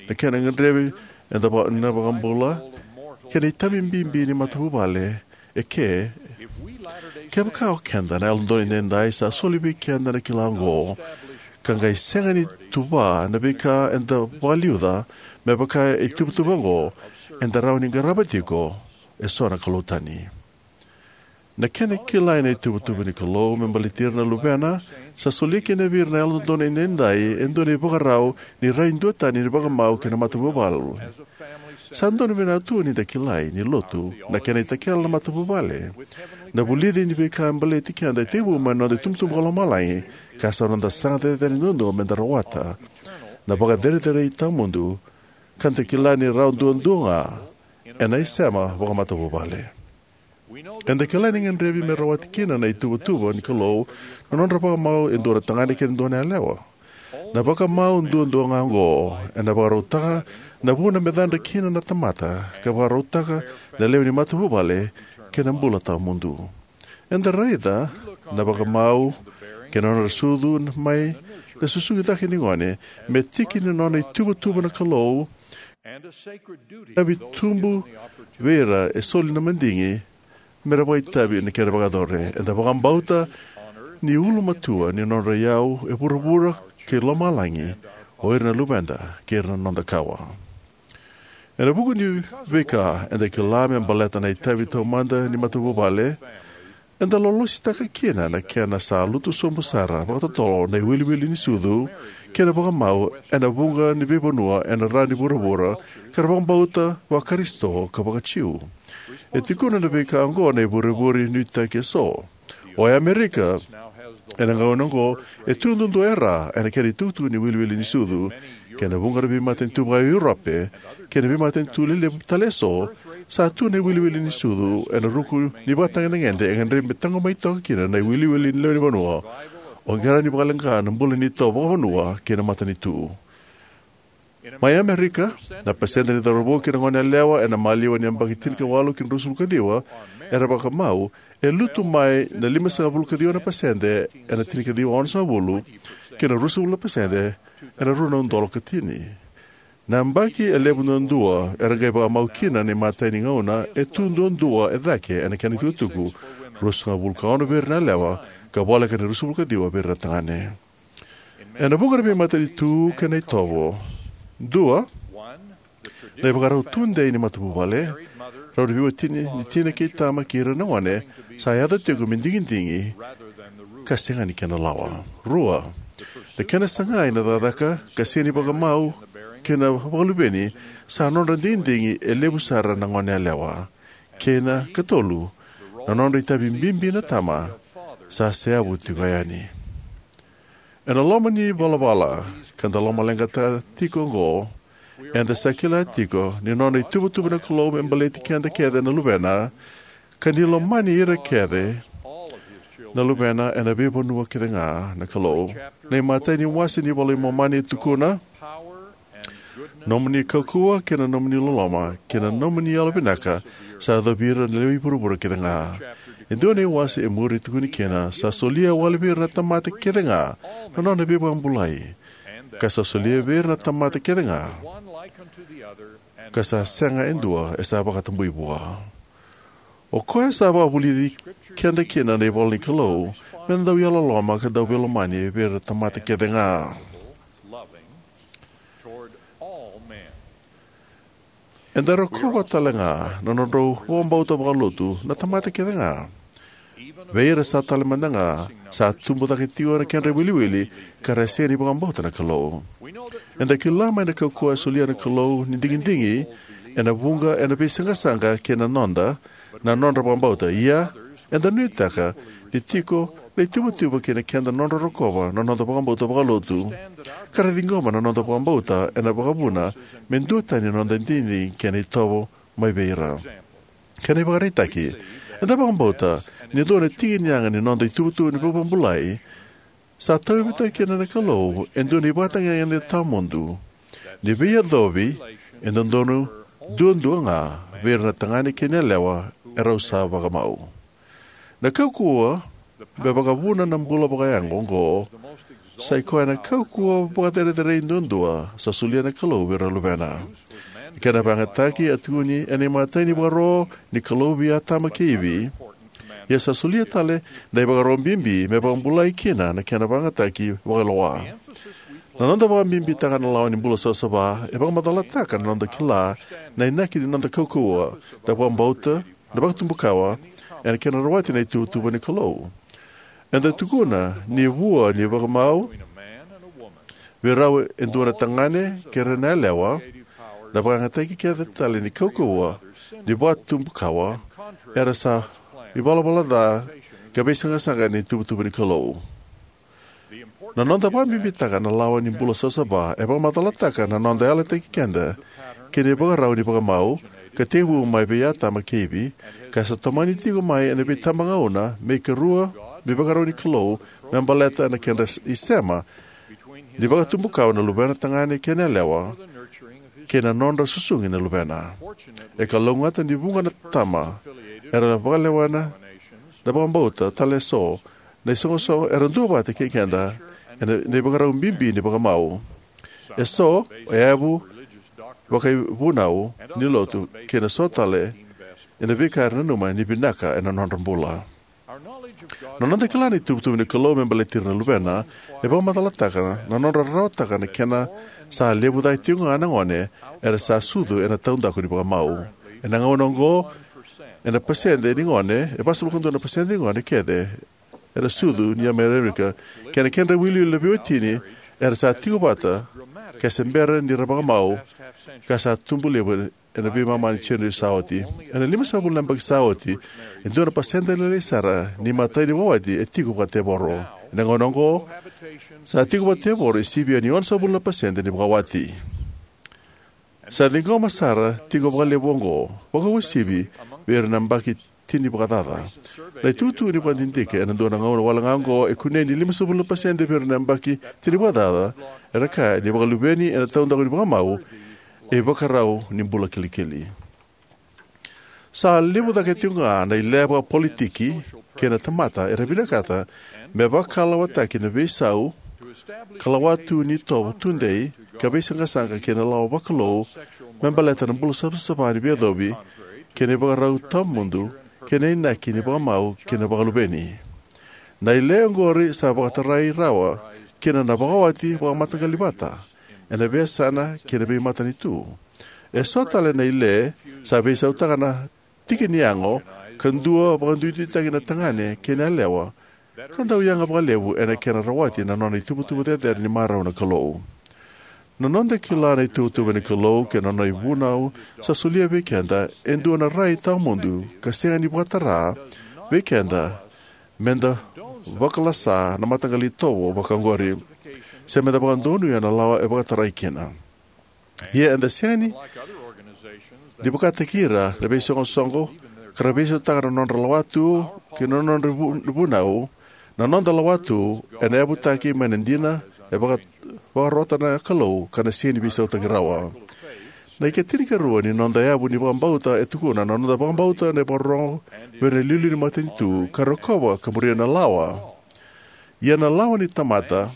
na kena gadrevi eda va-, na iVakabula, kei na itavi bibi ni matavuvale eke. Kevaka o keda na Yalododonu Edaidai sa soli vei keda na kila oqo, ka qai sega ni tuva na veika eda vakaliuca me vaka na ituvatuva oqo, eda rawa ni qarava tiko eso na kalou tani. Na kena kilai na ituvatuva ni Kalou me baleti ira na Luvena sa solia kina vei ira na Yalododonu Edaidai e dua na ivakarau ni rai duatani ni vakamau kei na matavuvale. Sa donu vinaka tu ni da kila ni lotu, na kena itakele na matavuvale, na vulici ni veika e baleti keda, e tekivu mai na noda itubutubu vakalomalagi, ka sa noda sasaga cecere duadua me da rawata na vakacerecerei tawamudu, ka da kila ni rawa duadua ga ena isema vakamatavuvale. Eda kila ni gadrevi me rawati kina na ituvatuva ni Kalou na nodra vakamau e dua na tagane kei na dua na yalewa. Na vakamau duadua ga oqo ena vakarautaka na vuna me cadra kina na tamata, ka vakarautaka na lewe ni matavuvale ki na bula tawamudu. Eda raica na vakamau kei na nodra sucu mai na susugi cake ni gone me tiki ni nona ituvatuva na Kalou, itavi tubu vei ira e soli na madigi me ra vakaitavi ena kena vakayaco. Eda vakabauta ni ulumatua ni nodra iyau e vuravura kei lomalagi o ira na luveda kei ira na noda kawa. Ena vuku ni veika eda kila me baleta na itavi taumada ni matavuvale, eda lolositaka kina na kena sa lutu sobu sara vakatotolo na iwiliwili ni sucu kei na vakamau ena vuqa ni veivanua ena ra ni vuravura ka ra vakabauta vaKarisito ka vakaJiu. E tukuna na veika oqo na ivurevure nuitaki eso. O Amerika ena gauna oqo e tu duadua e ra ena kena itukutuku ni iwiliwili ni sucu, kei na vuqa na veimatanitu vaka Europe kei na veimatanitu lelevu tale eso, sa tu na iwiliwili ni sucu ena ruku ni vakatagedegede e gadrevi me taqomaki toka kina na iwiliwili ni lewenivanua. O qai rawa ni vakaleqa na bula ni itovo vakavanua kei na matanitu. Mai Amerika, na pasede ni cauravou kei na goneyalewa ena maliwa ni yabaki tinikawalu ki na ruasagavulu ka ciwa era vakamau e lutu mai na limasagavulu ka ciwa na pasede ena tinikaciwa onosagavulu ki na ruasagavulu na pasede ena rua na udolu ka tini. Na yabaki e levu duadua era qai vakamau kina na imatai ni gauna e tu duadua e cake ena kena itukutuku, ruasagavulu ka ono vei ira na yalewa ka voleka ni ruasagavulu ka ciwa vei ira na tagane. Ena vuqa na veimatanitu kei na itovo, dua, na ivakarau tudei ni matavuvale, rau na veiwatini ni tina kei tama kei ira na gone sa yaco tiko me digidigi ka sega ni kena lawa. Rua, na kena sagai na cakacaka ka sega ni vakamau kei na vakaluveni sa nodra digidigi e levu sara na goneyalewa. Kei na katolu, na nodra itavi bibi na tama sa seyavu tiko yani. Ena loma ni valavala ka da lomaleqataka tiko oqo, eda sa kila tiko ni nona ituvatuva na Kalou me baleti keda kece na luvena, ka ni lomani ira kece na luvena ena veivanua kece ga na Kalou. Na imatai ni wase ni iVola i Momani e tukuna, "Nomuni kaukauwa kei na nomuni loloma kei na nomuni yalovinaka sa yacovi ira na lewe i vuravura kece ga." E dua na iwase e muri e tukuni kina, "Sa solia wale vei ira na tamata kece ga na nona veivakabulai, ka sa solia vei ira na tamata kece ga, ka sa sega e dua e sa vakatabui vua." O koya sa vakavulici keda kina na ivola ni Kalou me da dau yalololoma ka dau veilomani vei ira na tamata kece ga. Eda rokova talega na nodrau vakabauta vakalotu na tamata kecega, vei ira sa tale mada ga sa tubu cake tiko na kedra iwiliwili ka ra sega ni vakabauta na Kalou. Eda kila mai na kaukauwa e solia na Kalou ni digidigi ena vuqa ena veisaqasaqa kei na noda, na nodra vakabauta. Ia, eda nuitaka ni tiko na ituvatuva kei na keda nodra rokova na noda vakabauta vakalotu, ka ra ciqoma na noda vakabauta ena vakavuna me duatani na noda digidigi kei na itovo mai vei ira. Kena ivakaraitaki, eda vakabauta ni dua na tiki ni yaga ni noda ituvatuva ni vakabulai sa tauyavutaki kina na Kalou e dua na ivakatagedegede tawamudu ni veiyacovi e dodonu duadua ga vei ira na tagane kei na yalewa erau sa vakamau. Na kaukauwa me vakavuna na bula vakayago oqo sa ikoya na kaukauwa vakacerecerei duadua sa solia na Kalou vei ira na luvena. Kena vakayagataki a tukuni ena imatai ni vakaro ni Kalou vei Atama kei Ivi, ia sa solia tale na ivakaro bibi me vakabulai kina na kena vakayagataki vakailoa. Na noda vakabibitaka na lawa ni bula savasava e vakamacalataka na noda kila na inaki ni noda kaukauwa, na vakabauta, na vakatubukawa, ena kena rawati na ituvatuva ni Kalou. Eda tukuna ni vua ni vakamau vei rau e dua na tagane kei ira na yalewa, na vakayagataki kece tale ni kaukauwa ni vakatubukawa era sa ivalavala ca ka veisaqasaqa ni ituvatuva ni Kalou. Na noda vakabibitaka na lawa ni bula savasava e vakamacalataka na noda yalataki keda ki na ivakarau ni vakamau ka tekivu mai vei Atama kei Ivi, ka sa tomani tiko mai ena veitabagauna me ikarua ni ivakarau ni Kalou me baleta na kedra isema ni vakatubukawa na luvena tagane kei na yalewa, kei na nodra susugi na luvena. E kalougata ni vuqa na tama era vakalewena na vakabauta tale eso, na isoqosoqo era duavata kei keda ena ivakarau bibi ni vakamau. Eso e yavu vakaivunau ni lotu kei na so tale ena veika era nanuma ni vinaka ena nodra bula. Na noda kila na ituvatuva ni Kalou me baleti ira na luvena e vakamacalataka na nodra rarawataka na kena sa levu cake tiko ga na gone era sa sucu ena taudaku ni vakamau. Ena gauna oqo, ena pasede ni gone, e vasagavulu ka dua na pasede ni gone kece era sucu ni Amerika, kei na kedra iwiliwili na veiwatini era sa tiko vata ka se bera ni ra vakamau, ka sa tubu levu ena veimama ni senituri sa oti. Ena limasagavulu na yabaki sa oti, e dua na pasede lailai sara ni imatai ni vakawati e tiko vakatevoro. Ena gauna oqo, sa tiko vakatevoro e sivia ni onosagavulu na pasede ni vakawati. Sa ciqoma sara tiko vakalevu oqo, vakauasivi vei ira na yabaki tini vakacaca. Na itukutuku ni vakadidike ena dua na gauna wale ga oqo e kunei ni limasagavulu na pasede vei ira na yabaki tini vakacaca era kaya ni vakaluveni ena taudaku ni vakamau e ivakarau ni bula kilikili. Sa levu cake tiko ga na ile vakapolitiki kei na tamata era vinakata me vakalawataki na veisau ka lawatu ni itovo tudei ka veisaqasaqa kei na lawa vakalou me baleta na bula savasava ni veiyacovi kei na ivakarau tawamudu kei na inaki ni vakamau kei na vakaluveni. Na ile oqori sa vakatarai rawa kina na vakawati vakamataqali vata ena veiyasana kei na veimatanitu. Eso tale na ile sa veisautaka na tiki ni yago ka dua vakaduiduitaki na tagane kei na yalewa ka dau yaga vakalevu ena kena rawati na nona ituvatuva cecere ni marau na Kalou. Na noda kila na ituvatuva ni Kalou kei na nona ivunau sa solia vei keda e dua na rai tawamudu ka sega ni vakatara vei keda meda vakalasa na mataqali itovo vakaoqori se meda vakadonuya na lawa e vakatarai kina. Ia eda sega ni vakataki ira na veisoqosoqo ka ra veisautaka na nodra lawatu kei na nodra vu- vunau. Na noda lawatu ena yavutaki mai na dina e vaka- vakarota na Kalou ka na sega ni veisautaki rawa. Na ikatinikarua ni noda yavu ni vakabauta e tukuna na noda vakabauta na ivakarorogo vei ira na iliuliu ni matanitu ka rokova ka muria na lawa. Ia na lawa ni tamata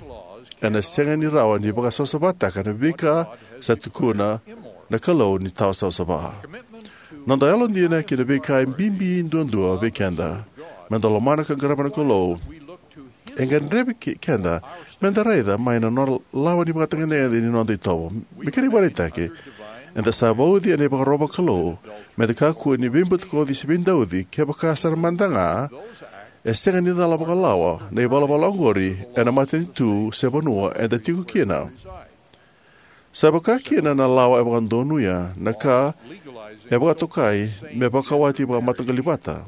ena sega ni rawa ni vakasavasavataka na veika sa tukuna na Kalou ni tawa savasava. Noda yalodina ki na veika e bibi duadua vei keda, meda lomana ka qarava na Kalou, e gadrevi ke- keda meda raica mai na nona lawa ni vakatagedegede ni noda itovo. Me kena ivakaraitaki, Eda sa vauci ena ivakaro vakalou meda kakua ni veibutakoci se veidauci. Kevaka sara mada ga e sega ni cala vakalawa na ivalavala oqori ena matanitu se vanua eda tiko kina, sa vakakina na lawa e vakadonuya na ka e vakatokai me vakawati vakamataqali vata.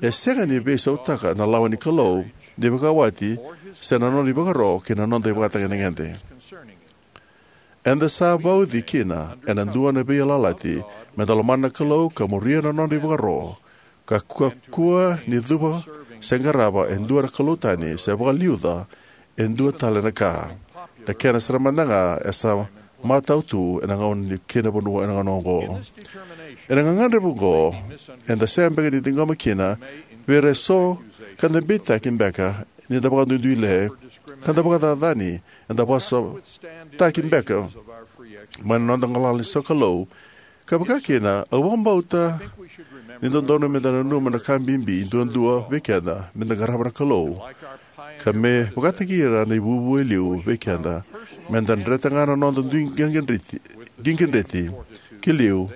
E sega ni veisautaka na lawa ni Kalou ni vakawati se na nona ivakaro kei na noda ivakatagedegede. Eda sa vauci kina ena dua na veiyalayalati meda lomana na Kalou ka muria na nona ivakaro, ka kakua ni cuva se qarava e dua na kalou tani se vakaliuca e dua tale na ka, na kena sara mada ga e sa matau tu ena gauna ni kena vanua ena gauna oqo. Ena gagadre vaqo, eda sega beka ni ciqoma kina vei ira eso ka da beitaki beka ni da vakaduiduile, ka da vakacacani, eda vosataki beka mai na noda galala ni sokalou. Ka vakakina, au vakabauta ni dodonu meda nanuma na ka bibi duadua vei keda meda qarava na Kalou, ka me vakataki ira na ivuvu e liu vei keda, meda dreta ga na noda dui qiqidreti, qiqidreti ki liu,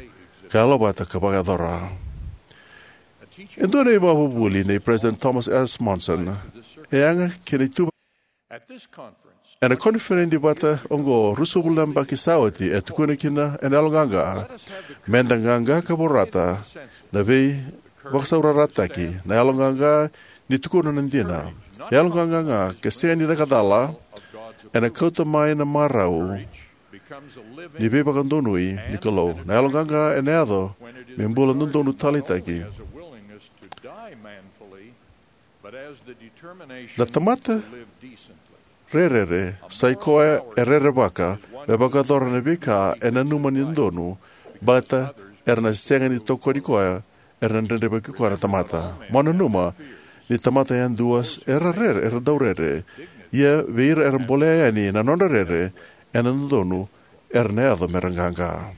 ka yalo vata ka vakayacora. E dua na ivakavuvuli nei President Thomas S. Monson e yaga ki na ituva. Ena koniferedi vata oqo, ruasagavulu na yabaki sa oti, e tukuna kina ena yaloqaqa, meda qaqa ka vorata na veivakasaurarataki, na yaloqaqa ni tukuna na dina. Yaloqaqa ga, ke sega ni caka cala, ena kauta mai na marau ni veivakadonui ni Kalou. Na yaloqaqa ena yaco me bula dodonu taleitaki. Na tamata rerere sai koya e rerevaka me vakayacora na veika e nanuma ni dodonu, baleta era na sega ni tokoni koya, era na dredrevaki koya na tamata. Mo nanuma ni tamata yadua era rere, era dau rere. Ia vei ira era bolea yani na nodra rere ena dodonu, era na yaco mera qaqa.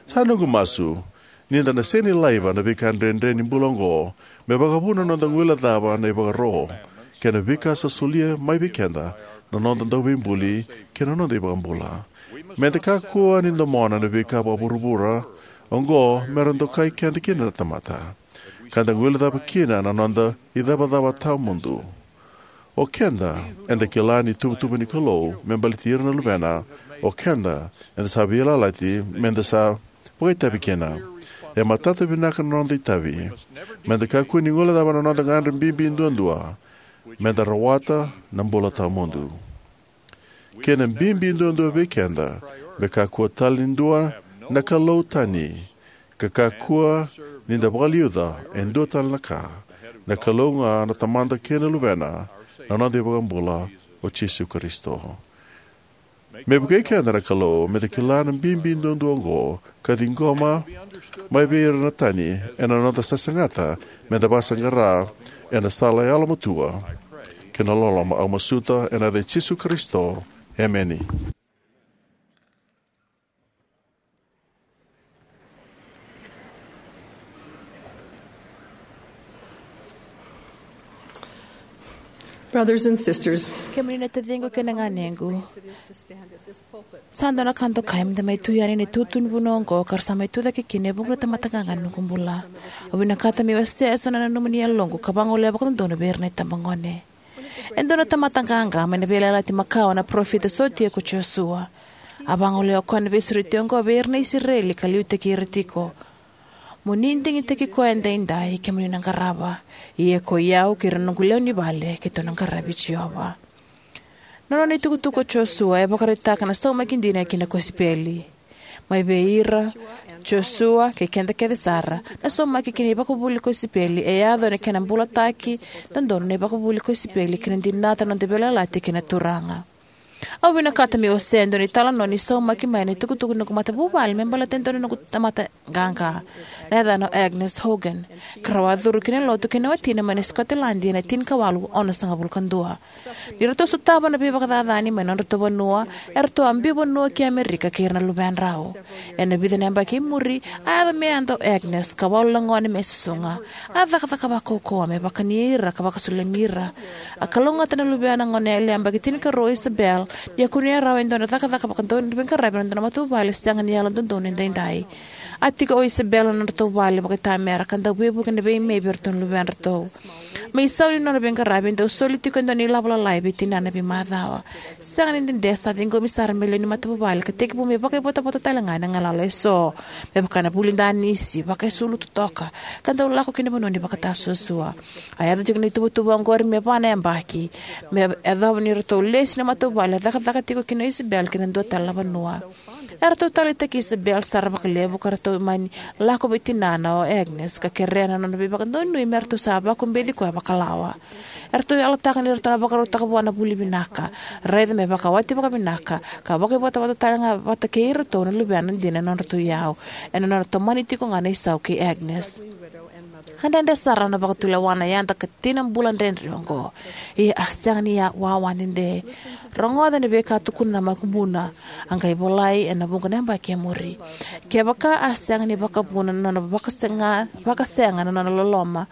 Sa noqu masu ni da na sega ni laiva na veika dredre ni bula oqo me vakavuna na noda guilecava na ivakaro kei na veika sa solia mai vei keda na noda Dauveibuli kei na noda iVakabula. Meda kakua ni domona na veika vakavuravura oqo mera dokai keda kina na tamata, ka da guilecava kina na noda icavacava tawamudu. O keda eda kila ni tuvatuva ni Kalou me baleti ira na luvena, o keda eda sa veiyalayalati meda sa vakaitavi kina. E matata vinaka na noda itavi. Meda kakua ni guilecava na noda gagadre bibi duadua, meda rawata na bula tawamudu. Kena bibi duadua vei keda, me kakua tale ni dua na kalou tani, ka kakua ni da vakaliuca e dua tale na ka, na Kalou ga na Tamada kei na Luvena, na noda iVakabula o Jisu Karisito. Me vukei keda na Kalou meda kila na bibi duadua oqo ka ciqoma mai vei ira na tani ena noda sasagata meda vakasaqara ena sala yalomatua kei na loloma. Au masuta ena yaca i Jisu Karisito. Emeni. Brothers and sisters, kemuni na taciqu kei na ganequ, sa dua na ka dokai meda mai tu yani ena itutu ni vanua oqo ka ra sa mai tucake kina e vuqa na tamata qaqa ena noqu bula. Au vinakata meu wasea eso na nanuma ni yaloqu ka vagolea vakadodonu vei ira na itabagone. E dua na tamata qaqa mai na Veiyalayalati Makawa na parofita sotia ko Josua. A vagolea o koya na veisureti oqo vei ira na Isireli ka liutaki ira tiko. Mo ni digitaki koya edaidai, kemuni na qarava. Ia ko i au kei ira na noqu lewe ni vale, keitou na qaravi Jiova. Na nona itukutuku o Josua e vakaraitaka na saumaki dina ki na kosipeli. Mai vei ira, Josua, kei keda kece sara, na saumaki ki na ivakavuvuli kosipeli e yaco ena kena bulataki dodonu na ivakavuvuli kosipeli kei na dinata na noda veiyalayalati kei na Turaga. Au vinakata meu wasea e dua na italanoa ni saumaki mai na itukutuku ni noqu matavuvale me baleta e dua na noqu tamata qaqa. Na yacana o Agnes Hoggan, ka rau a curu ki na lotu kei na watina mai na Scotland ena tinikawalu onosagavulu ka dua. Ni ratou sotava na veivakacacani mai na nodratou vanua, eratou a biu vanua ki Amerika kei ira na luvedrau. Ena vica na yabaki i muri, a yaco me yada o Agnes ka walu na gone me susuga. A cakacaka vakaukauwa me vakani ira ka vakasulumi ira. A kalougata na luvena, na goneyalewa yabaki tinikarua o Isabel, Ni a kunea rawa e dua na cakacaka vakadauniveiqaravi ena dua na matavuvale sega ni yalododonu edaidai. A tiko o Isabel ena nodratou vale vakaitamera ka dau veivuke ena veimei vei iratou na luvedratou. Me isau ni nona veiqaravi, e dau soli tiko e dua na ilavo lalai vei tinana e veimacawa. Sega ni dede, sa ciqomi sara me lewe ni matavuvale ka tekivu me vakaivotavota talega ena galala eso, me vaka na vuli danisi, vakaisulu totoka, ka dau lako ki na vanua ni vakatasuasua. A yaco tiko na ituvatuva oqori me va na yabaki. Me yacova ni ratou lesi na matavuvale, a cakacaka tiko kina o Isabel ki na dua tale na vanua. Eratou taleitaki Isabel sara vakalevu ka ratou mani lako vei tinana o Agnes ka kerea na nona veivakadonui me ratou sa vakubeci koya vakalawa. Eratou yalataka ni ratou na vakarautaka vua na vuli vinaka, raica me vakawati vakavinaka, ka vakaivotavota talega vata kei iratou na luvena dina ena nodratou iyau, ena nona tomani tiko ga na isau kei Agnes. A dredre sara na vakatulewa na yada ka tina bula dredre oqo. Ia a sega ni wawa dede. Rogoca na veika a tukuna na makubuna. A qai volai ena vuqa na yabaki e muri. Kevaka a sega ni vakavuna na nona vakasega, vakasega na nona loloma,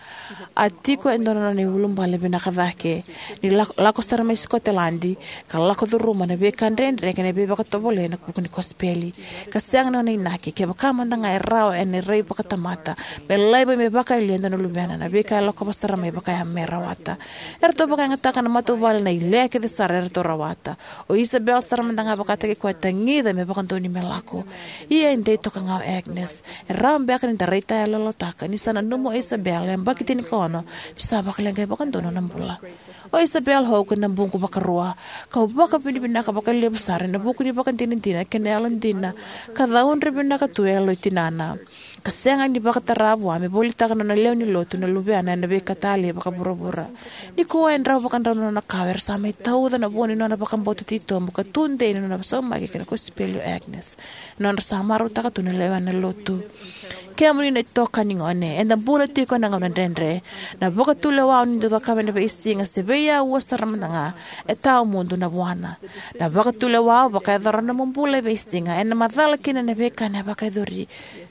a tiko e dua na nona iulubale vinaka cake. Ni lako, lako sara mai Sikoteladi ka lako curuma na veika dredre kei na veivakatovolei ena vuku ni kosipeli. Ka sega na nona inaki, kevaka mada ga e rawa ena rai vakatamata, me laiva me vakayalia e dua na luvena na veika e lakova sara mai vaka ya me rawata. Eratou vakayagataka na matavuvale na ilea kece sara eratou rawata. O Isabel sara mada ga vakataki koya, tagica me vakadonui me lako. Ia e dei toka ga o Agnes. E rawa beka ni da raitayaloyalotaka ni sa nanuma o Isabel e yabaki tinikaono ni sa vakaleqai vakadua na nona bula. O Isabel Hogg na buqu vakarua, kau vakavinavinaka vakalevu sara ena vuku ni vakadinadina kei na yalodina ka caudre vinaka tu e yaloi tinana, ka sega ni vakatara vua me volitaka na nona lewe ni lotu na luvena ena veika talei vakavuravura. Nikua e drau vakadrau na nona kawa era sa mai tauca na vua ni nona vakabauta titobu ka tudei na nona saumaki kei na kosipeli o Agnes, na nodra sa marautaka tu na lewena na lotu. Kemuni na itokani gone, eda bula tiko ena gauna dredre. Na vakatulewa o ni dau cakava ena veisiga se veiauwa sara mada ga, e tawamudu na vuana. Na vakatulewa o vakayacora na nomu bula e veisiga ena macala kina na veika ena vakayacori,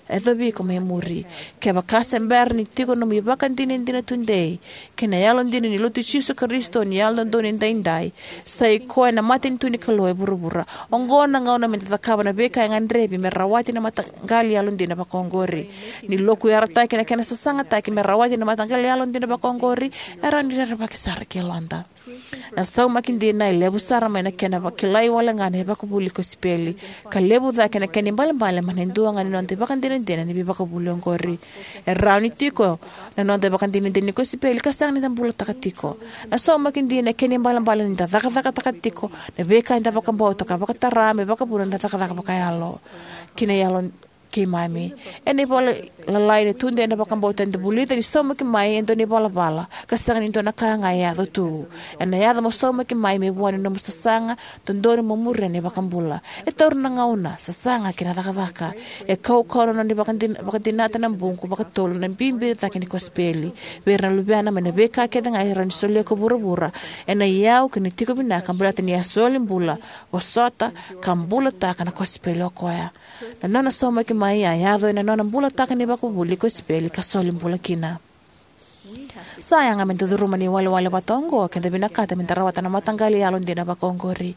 yacovi iko mai muri. Kevaka se bera ni tiko nomu ivakadinadina tudei kei na yalodina ni Lotu i Jisu Karisito ni Yalododonu Edaidai, sa i koya na matanitu ni Kalou e vuravura. Oqo na gauna me da cakava na veika e gadrevi me rawati na mataqali yalodina vakaoqori. Ni lokuyarataki na kena sasagataki me rawati na mataqali yalodina vakaoqori, e rawa ni rerevaki sara ki yaloda. Na saumaki dina e levu sara mai na kena vakilai wale ga na ivakavuvuli kosipeli, ka levu cake na kena ibalebale mai na dua ga ni noda ivakadinadina ni veivakavuvuli oqori. E rawa ni tiko na noda ivakadinadina ni kosipeli ka sega ni da bulataka tiko. Na saumaki dina e kena ibalebale ni da cakacakataka tiko na veika eda vakabauta ka vakatara me vakavuna na cakacaka vakayalo kei na yalo keimami. Ena ivola lalai na Tudei na Vakabauta, eda vulica ni saumaki mai e dua na ivalavala ka sega ni dua na ka ga e yaco tu. Ena yaco mo saumaki mai me vua ni nomu sasaga, dodonu mo muria na iVakabula. E taura na gauna, sasaga kei na cakacaka. E kaukauwa na nona ivakadin-, vakadinata na buqu vakatolu na bibi cake ni kosipeli vei ira na luvena mai na veika kece ga e rawa ni solia ko vuravura ena iyau kei na tiko vinaka baleta ni a soli bula, vosota, ka bulataka na kosipeli o koya. Na nona saumaki mai a yaco ena nona bulataka na ivakavuvuli kosipeli ka soli bula kina. Sa yaga me da curuma na iwalewale vata oqo ke da vinakata me da rawata na mataqali yalodina vakaoqori.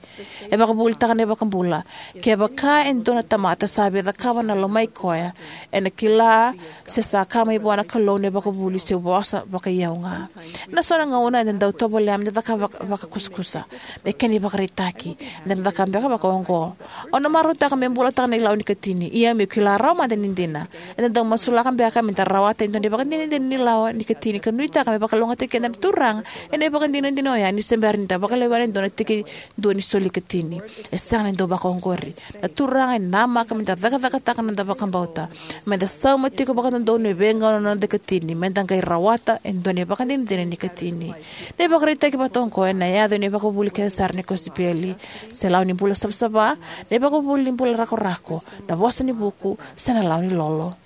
E vakavuvulitaka na iVakabula, kevaka e dua na tamata sa via cakava na lomai koya, ena kila se sa ka mai vua na Kalou na ivakavuvuli se vosa vakaiyau ga. Ena so na gauna eda dau tovolea me da cakava vaka-, vakakusakusa. Me kena ivakaraitaki, eda na cakava beka vaka oqo. Au na marautaka meu bulataka na ilawa ni katini, ia meu kila rawa mada ni dina. Eda dau masulaka beka me da rawata e dua na ivakadinadina ni lawa ni katini ka nuitaka me vakalougatataki keda na Turaga ena ivakadinadina oya ni se bera ni da vakalewena e dua na tikidua ni soli katini. E sega ni dau vakaoqori. Na Turaga e namaka me da cakacakataka na noda vakabauta, me da sauma tiko vakadodonu e veigauna na noda katini, me da qai rawata e dua na ivakadinadina ni katini. Na ivakaraitaki vata oqo ena yaco ena ivakavuvuli kece sara ni kosipeli. Se lawa ni bula savasava, na ivakavuvuli ni bula rakorako, na vosa ni vuku, se na lawa ni lolo.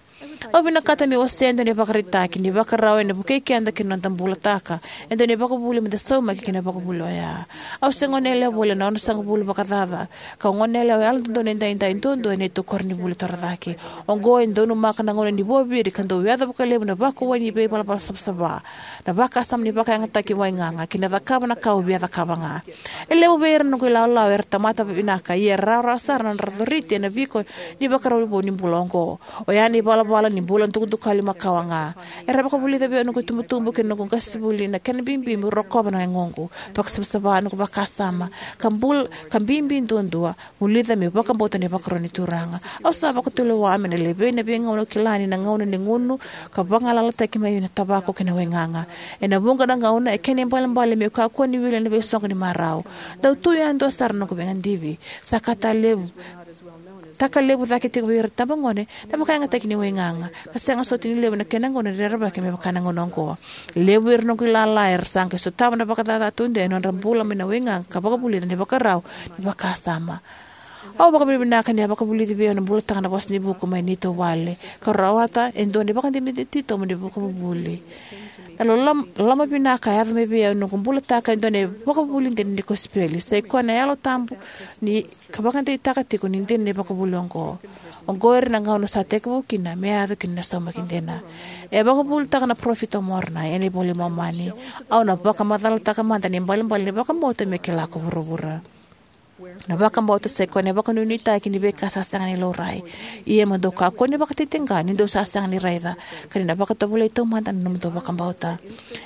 Au vinakata meu wasea e dua na ivakaraitaki ni ivakarau ena vukei keda kina noda bulataka e dua na ivakavuvuli meda saumaki kina ena ivakavuvuli oya. Au se goneyalewa voli ena onosagavulu vakacaca, kau goneyalewa yalododonu edaidai duadua ena neitou koronivuli torocake. Oqo e donumaka na gauna ni vuaviri ka dau yaco vakalevu na vakuwai ni veivalavala savasava, na vakasama ni vakayagataki waigaga, kei na cakava na ka au via cakava ga. E levu vei ira na noqu ilawalawa era tamata vinaka, ia e rawarawa sara na nodra coriti ena viko ni ivakarau vou ni bula oqo, oya na ivalavala ni bula dukadukali makawa ga. Era vakavulica vei au na noqu itubutubu kei na noqu qasenivuli na kena bibi meu rokova na yagoqu, vakasavasava noqu vakasama, ka bul-, ka bibi duadua, vulica meu vakabauta na ivakaro ni Turaga. Au sa vakatulewa mai na levei na veigauna au kila ni na gauna ni gunu ka vagalalataki mai na tavako kei na waigaga. Ena vuqa na gauna e kena ibalebale meu kakua ni wili ena veisoqo ni marau. Dau tu yadua sara na noqu veigadivi. Sa ka talevu, taka levu cake tiko vei ira na itabagone na vakayagataki ni waigaga, ka sega soti ni levu na kena gauna ni rerevaki me vaka na gauna oqo. Levu vei ira na noqu ilala era sa qai sotava na vakacaca tudei ena nodra bula mai na waigaga ka vakavulica na ivakarau ni vakasama. Au vakavinavinaka ni a vakavulici vei au na bulataka na Vosa ni Vuku mai neitou vale, ka rawata e dua na ivakadinadina titobu ni ivakavuvuli. Na loloma, loloma vinaka a yaco mai vei au ena noqu bulataka e dua na ivakavuvuli dina ni kosipeli, sai koya na Yalo Tabu ni ka vakadeitaka tiko ni dina na ivakavuvuli oqo. Oqo ira na gauna sa tekivu kina me yaco kina na saumaki dina. E vakavuvulitaka na parofita o Moronai ena iVola i Momani: Au na vakamacalataka mada na ibalebale ni vakabauta me kila ko vuravura. Na vakabauta sai koya na vakanuinuitaki ni veika sa sega ni laurai. Ia mo dou kakua ni vakatitiqa ni dou sa sega ni raica, ka ni na vakatovolei taumada na nomudou vakabauta.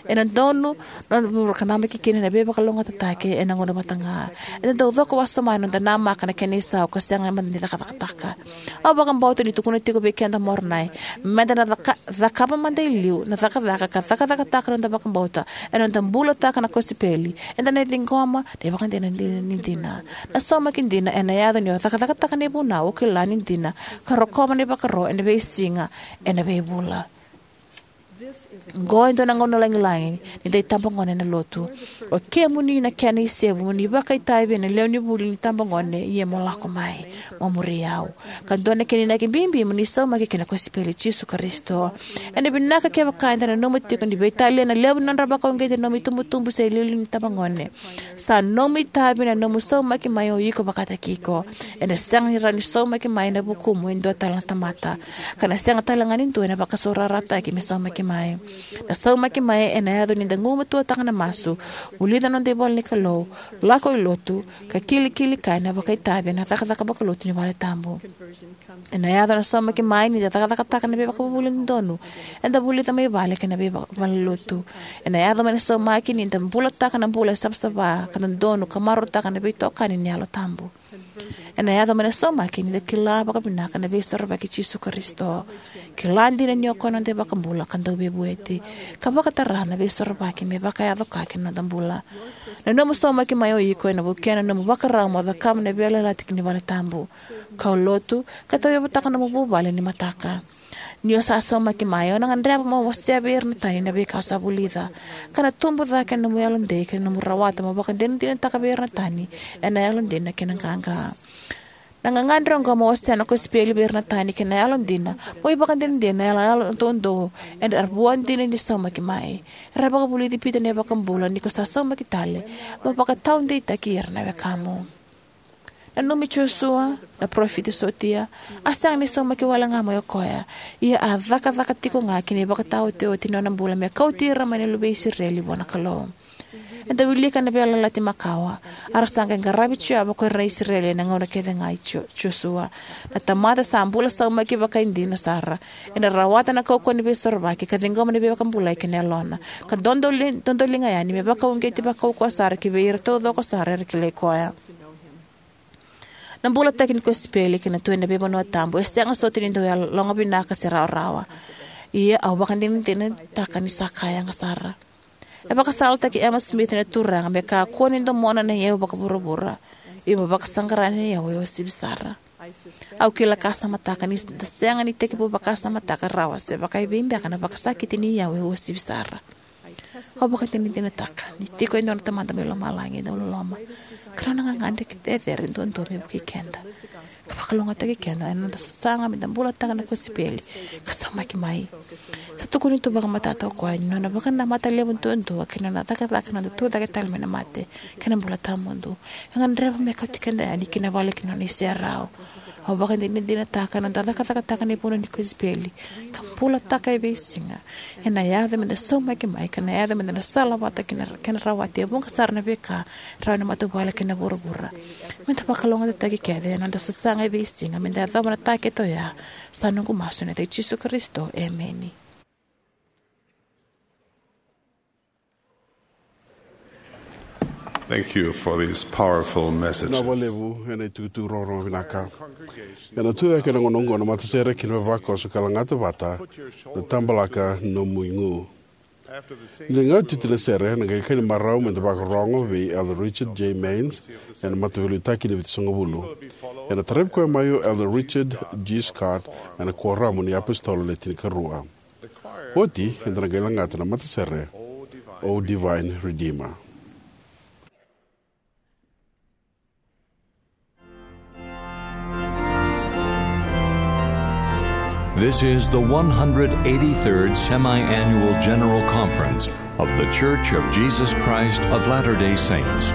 Ena donu na nomudou ka namaki kina na veivakalougatataki ena gauna vata ga. Eda dau coko wasoma ena noda namaka na kena isau ka sega mada ni cakacakataka. Au vakabauta ni tukuna tiko vei keda o Moronai meda na caka-, cakava mada e liu na cakacaka ka cakacakataka na noda vakabauta ena noda bulataka na kosipeli. Eda na ciqoma na ivakadinadina ni dina. Na saumaki dina ena yaco ni o cakacakataka na ivunau o kila ni dina ka rokova na ivakaro ena veisiga, ena veivula. Oqo e dua na gauna lagilagi ni da itabagone ena Lotu. O kemuni na kena isevu, mo ni vakaitavi ena lewe ni vuli ni tabagone, ia mo lako mai, mo muri au. Ka dua na kena inaki bibi mo ni saumaki kina na kosipeli i Jisu Karisito. Ena vinaka kevaka eda nanuma tiko ni veitalia na levu ni nodra vakauqeti na nomu itubutubu se iliuliu ni tabagone. Sa nomu itavi na nomu saumaki mai o iko vakataki iko. Ena sega ni rawa ni saumaki mai ena vukumu e dua tale na tamata, ka na sega tale ga ni dua ena vakasaurarataki me saumaki mai. Na saumaki mai ena yaco ni da gumatuataka na masu, vulica na noda ivola ni Kalou, lako i lotu, ka kilikili kaya na vakaitavi ena cakacaka vakalotu ni valetabu. Ena yaco na saumaki mai ni da cakacakataka na veivakavuvuli dodonu eda vulica mai vale kei na veivalenilotu. Ena yaco mai na saumaki ni da bulataka na bula e savasava ka dodonu ka marautaka na veitokani ni Yalo Tabu. Ena yaco mai na saumaki ni da kila vakavinaka na Veisorovaki i Jisu Karisito, kila dina ni o koya na noda iVakabula ka Dauveivueti, ka vakatara na Veisorovaki me vakayaco ka kina noda bula. Na nomu saumaki mai o iko ena vukea na nomu vakarau mo cakava na veiyalayalati ni valetabu, kaulotu, ka tauyavutaka nomu vuvale ni mataka. Ni o sa saumaki mai, o na gadreva mo wasea vei ira na tani na veika o sa vulica, ka na tubu cake na nomu yalodei kei na nomu rawata mo vakadinadinataka vei ira na tani ena yalodina kei na qaqa. Na gagadre oqo mo wasea na kosipeli vei ira na tani kei na yalodina, mo ivakadinadina ena yalo, yalo doudou, era vua dina ni saumaki mai. Era vakavulici Pita na iVakabula: Ni ko sa saumaki tale, mo vakataudeitaki ira na wekamu. Nanumi Josua, na parofita sotia, a sega ni saumaki wale ga mai o koya, ia a cakacaka tiko ga ki na ivakataotioti ni nona bula me kauti ira mai na luvei Isireli vua na Kalou. Eda wilika na Veiyalayalati Makawa, a ra sa qai qaravi Jiova ko ira na Isireli ena gauna kece ga i Jo-, Josua. Na tamata sa bula saumaki vakaidina sara, ena rawata na kaukauwa ni Veisorovaki ka ciqoma na veivakabulai kei na Yalona, ka dodoli-, dodoliga yani me vakauqeti vakaukauwa sara ki vei ira taucoko sara era kilai koya. Na bulataki ni kosipeli kei na tu ena veivanua tabu e sega soti ni dau yaloga vinaka se rawarawa. Ia au vakadinadinataka ni sa ka yaga sara. E vakasalataki Emma Smith na Turaga me kakua ni domona na iyau vakavuravura, ia mo vakasaqara na iyau e uasivi sara. Au kila ka samataka ni da sega ni tekivu vakasamataka rawa se vakaevei beka na vakasakiti ni iyau e uasivi sara. Au vakadinadinataka ni tiko e dua na Tamada mai lomalagi e dau loloma, ka nona gagadre cecere duadua me vukei keda ka vakalougatataki keda ena noda sasaga me da bulataka na kosipeli ka saumaki mai. Sa tukuni tu vakamatata o koya ni nona vakanamata levu duadua kei na nona cakacaka na noda tucake tale mai na mate kei na bula tawamudu e gadreva me kauti keda yani ki na vale ki na nona iserau. Au vakadinadinataka na noda cakacakataka na ivunau ni kosipeli ka bulataka e veisiga ena yaco me da saumaki mai, ka na yaco me da na salavata ki na kena rawati e vuqa sara na veika rawa ni matavuvale kei na vuravura. Me da vakalougatataki kece ena noda sasaga e veisiga me da yacova na takete oya. Sa noqu masu ena yaca i Jisu Karisito, emeni. Thank you for these powerful messages. Vinaka vakalevu ena itukutuku rogorogo vinaka. Ena tucake ena gauna oqo na matasere kei na vavakoso ka lagata vata na Tabalaka Nomu Igu. Ni da qai oti oti na sere, na qai kena marau me da vakarorogo vei Elder Richard J. Maynes ena Mataveiliutaki ni Vitusagavulu. Ena taravi koya mai o Elder Richard G. Scott ena Kuoramu ni iApositolo Le Tinikarua. Oti eda na qai lagata na matasere O Divine Redeemer. This is the one hundred eighty-third Semi-Annual General Conference of The Church of Jesus Christ of Latter-day Saints.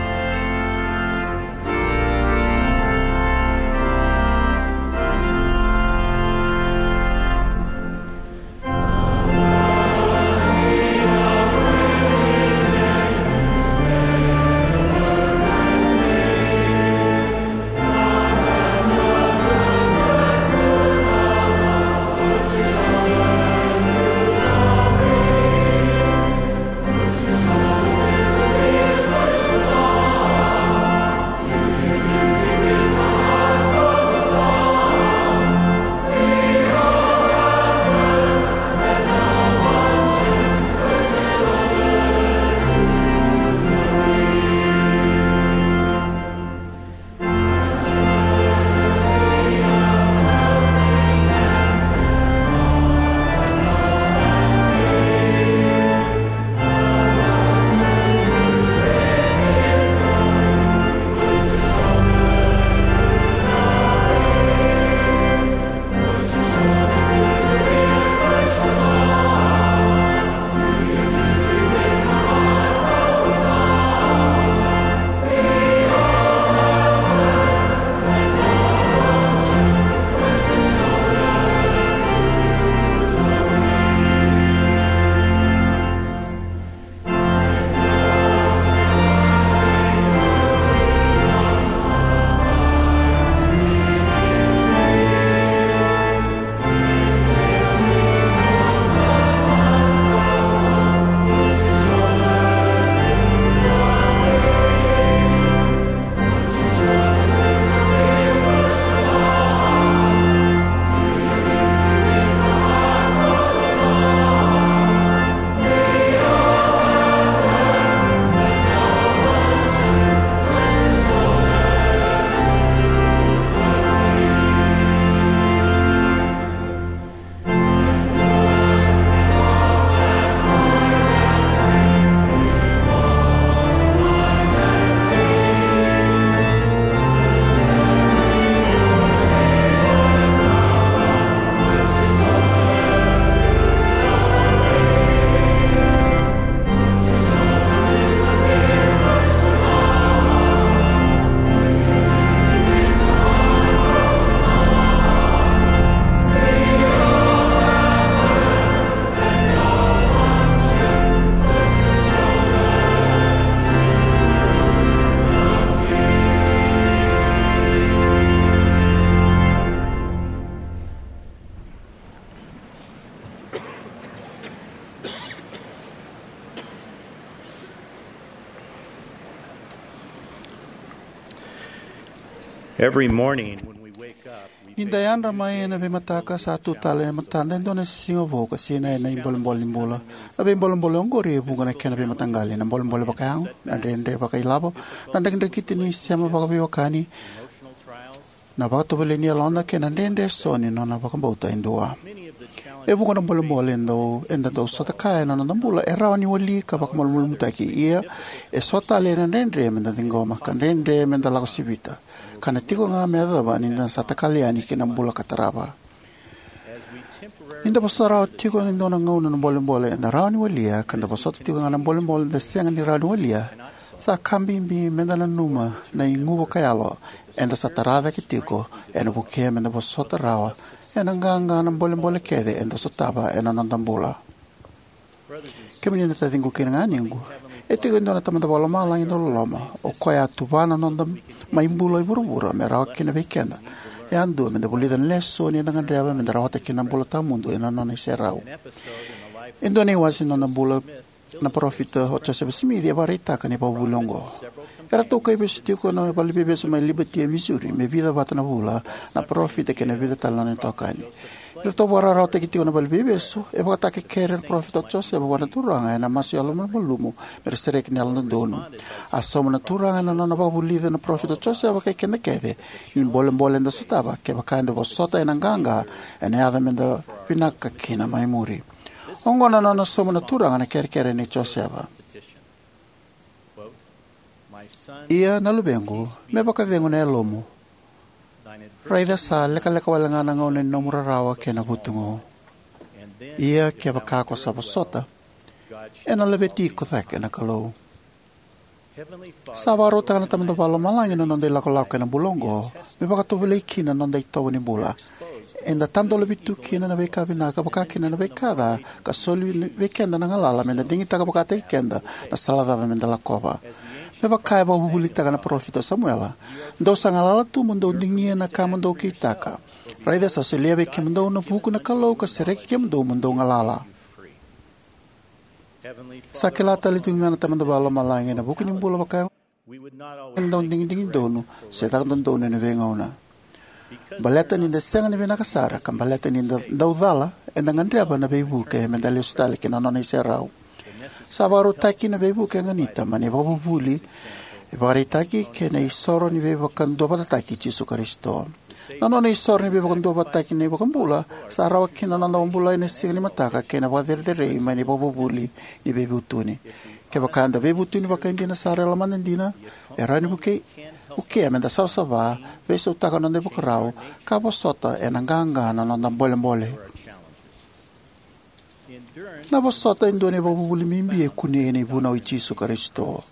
Every morning when we wake up, we Ni da yadra mai ena veimataka, sa tu tale e matada e dua na siga vou ka sinai ena ibolebole ni bula. Na veibolebole oqori e vuqa na kena veimataqali: na bolebole vakayago, na dredre vakailavo, na drakidrakita ni sema vakaveiwekani, na vakatovolei ni yaloda, kei na dredre eso ni nona vakabauta e dua. E vuqa na bolebole e dau, eda dau sota kaya ena noda bula e rawa ni wali ka vakamalumalumutaki. Ia, e so tale na dredre meda ciqoma, ka dredre meda lako sivita, ka na tiko ga me yacova ni da sa takali yani ki na bula ka tarava. Ni da vosota rawa tiko ena dua na gauna na bolebole eda rawa ni walia, ka da vosota tiko ga na bolebole eda sega ni rawa ni walia, sa ka bibi meda nanuma na igu vakayalo eda sa tara cake tiko, ena vukea meda vosota rawa ena qaqa na bolebole kece eda sotava ena noda bula. Kemuni na taciqu kei na ganequ, e tiko e dua na Tamada Vakalomalagi dauloloma, o koya a tuva na noda mai bula i vuravura me rawa kina vei keda yadua meda vulica na lesoni eda gadreva meda rawata kina na bula tawamudu ena nona iserau. E dua na iwase ni nona bula na parofita o Josefa Simici e vakaraitaka na ivakavuvuli oqo. Eratou kaivesu tiko na valeniveivesu mai Liberty e Missouri me vica vata na vula na parofita kei na vica tale na nona itokani. Ni ratou vakararawataki tiko na valeniveivesu, e vakatakekere na parofita o Josefa vua na Turaga ena masu yalomalumalumu me ra sereki na Yalododonu. A sauma na Turaga ena nona vakavulica na parofita o Josefa kei keda kece ni bolebole eda sotava, kevaka eda vosota ena qaqa, ena yaco meda vinaka kina mai muri. Oqo na nona sauma na Turaga na kerekere nei Josefa. Ia, na luvequ, me vakacegu na yalomu. Raica sa lekaleka wale ga na gauna ni nomu rarawa kei na vutugu. Ia kevaka ko sa vosota, ena laveti iko cake na Kalou. Sa vakarautaka na Tamada Vakalomalagi na noda ilakolako ena bula oqo me vakatovolei kina na noda itovo ni bula. Eda tadolavi tu kina na veika vinaka vaka kina na veika ca, ka soli vei keda na galala meda digitaka vakataki keda na sala cava meda lakova. Me vaka e vakavuvulitaka na parofita o Samuela: Dou sa galala tu mo dou digia na ka mo dou kitaka. Raica sa solia vei kemudou na vuku na Kalou ka sereki kemudou mo dou galala. Sa kila tale tu ga na Tamada Vakalomalagi ena vuku ni bula vaka e dau digidigi donu se caka dodonu ena veigauna. Baleta ni da sega ni vinaka sara ka baleta ni da dau cala, eda gadreva na veivuke meda lesu tale ki na nona iserau. Sa vakarautaki na veivuke e ganita mai na ivakavuvuli, ivakaraitaki kei na isoro ni veivakaduavatataki i Jisu Karisito. Na nona isoro ni veivakaduavatataki na iVakabula sa rawa kina na noda vakabulai ena siga ni mataka kei na vakacerecerei mai na ivakavuvuli ni veivutuni. Kevaka eda veivutuni vakaidina sara e lomada dina, e rawa ni vukei, vukea meda savasava, veisautaka na noda ivakarau, ka vosota ena qaqa na noda bolebole. Na vosota e dua na ivakavuvuli bibi e kunei ena ivunau i Jisu Karisito.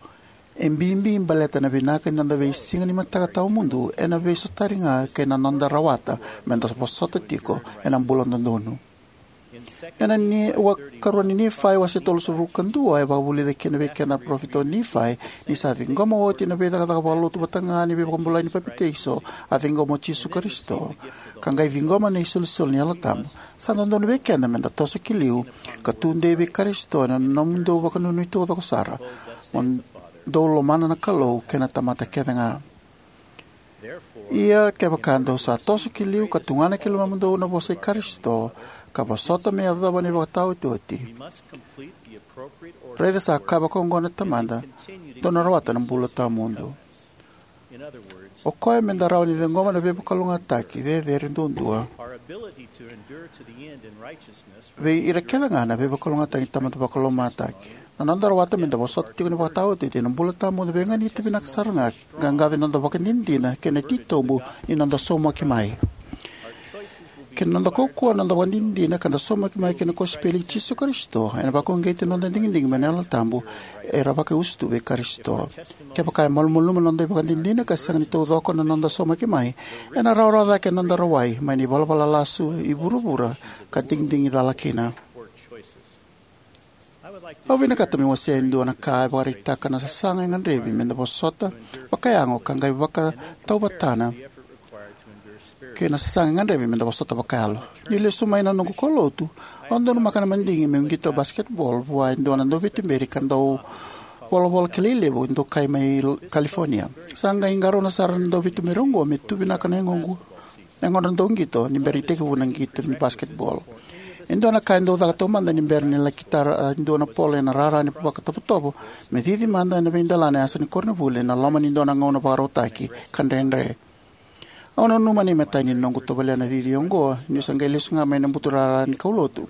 E bibi baleta na vinaka ni noda veisiga ni mataka tawamudu ena veisotari ga kei na noda rawata meda vosota tiko ena bula dodonu. Ena ni, wa, karua ni Nifai wase tolusagavulu ka dua e vakavulica kina vei keda na parofita o Nifai ni sa ciqoma oti na veicakacaka vakalotu vata ga ni veivakabulai ni papitaiso a ciqoma o Jisu Karisito, ka qai ciqoma na isolisoli ni Yalo Tabu. Sa dodonu vei keda meda toso ki liu ka tudei vei Karisito ena nomudou vakanuinui taucoko sara, mo dou lomana na Kalou kei na tamata kece ga. Ia kevaka dou sa toso ki liu ka tugana ki lomamudou na vosa i Karisito, ka vosota me yacova na ivakataotioti, raica sa kaya vakaoqo na Tamada, dou na rawata na bula tawamudu. O koya meda rawa ni ciqoma na veivakalougatataki cecere duadua vei ira kece ga na veivakalougatataki ni Tamada Vakalomataki. Na noda rawata meda vosota tiko na ivakataotioti ena bula tawamudu veiganiti vinaka sara ga, qaqaco ni noda vakadinadina kei na titobu ni noda saumaki mai. Kei na noda kaukauwa na noda vakadinadina ka da saumaki mai ki na kosipeli i Jisu Karisito ena vakauqeti na noda digidigi mai na Yalo Tabu era vakaiusutu vei Karisito. Kevaka e malumalumu na noda ivakadinadina ka sega ni taucoko na noda saumaki mai, ena rawarawa cake na noda rawai mai na ivalavala lasu i vuravura ka digidigi cala kina. Au vinakata meu wasea e dua na ka e vakaraitaka na sasaga e gadrevi meda vosota vakayago ka qai vakatauvatana kei na sasaga e gadrevi meda vosota vakayalo. Niu lesu mai na noqu kaulotu, au donumaka na madigi meu qito basketball vua e dua na dauveituberi ka dauvolavola kilai levu e dokai mai California. Sa qai qarauna sara na dauveituberi oqo me tu vinaka na yagoqu, yagodra dau qito ni bera ni tekivu na qito ni basketball. E dua na ka e dau caka taumada ni bera ni laki tara e dua na polo ena rara ni vakatovotovo me cici mada ena veidelana e yasa ni koronivuli ena loma ni dua na gauna vakarautaki ka dredre. Au nanuma na imatai ni noqu tovolea na cici oqo niu sa qai lesu ga mai na buturara ni kaulotu.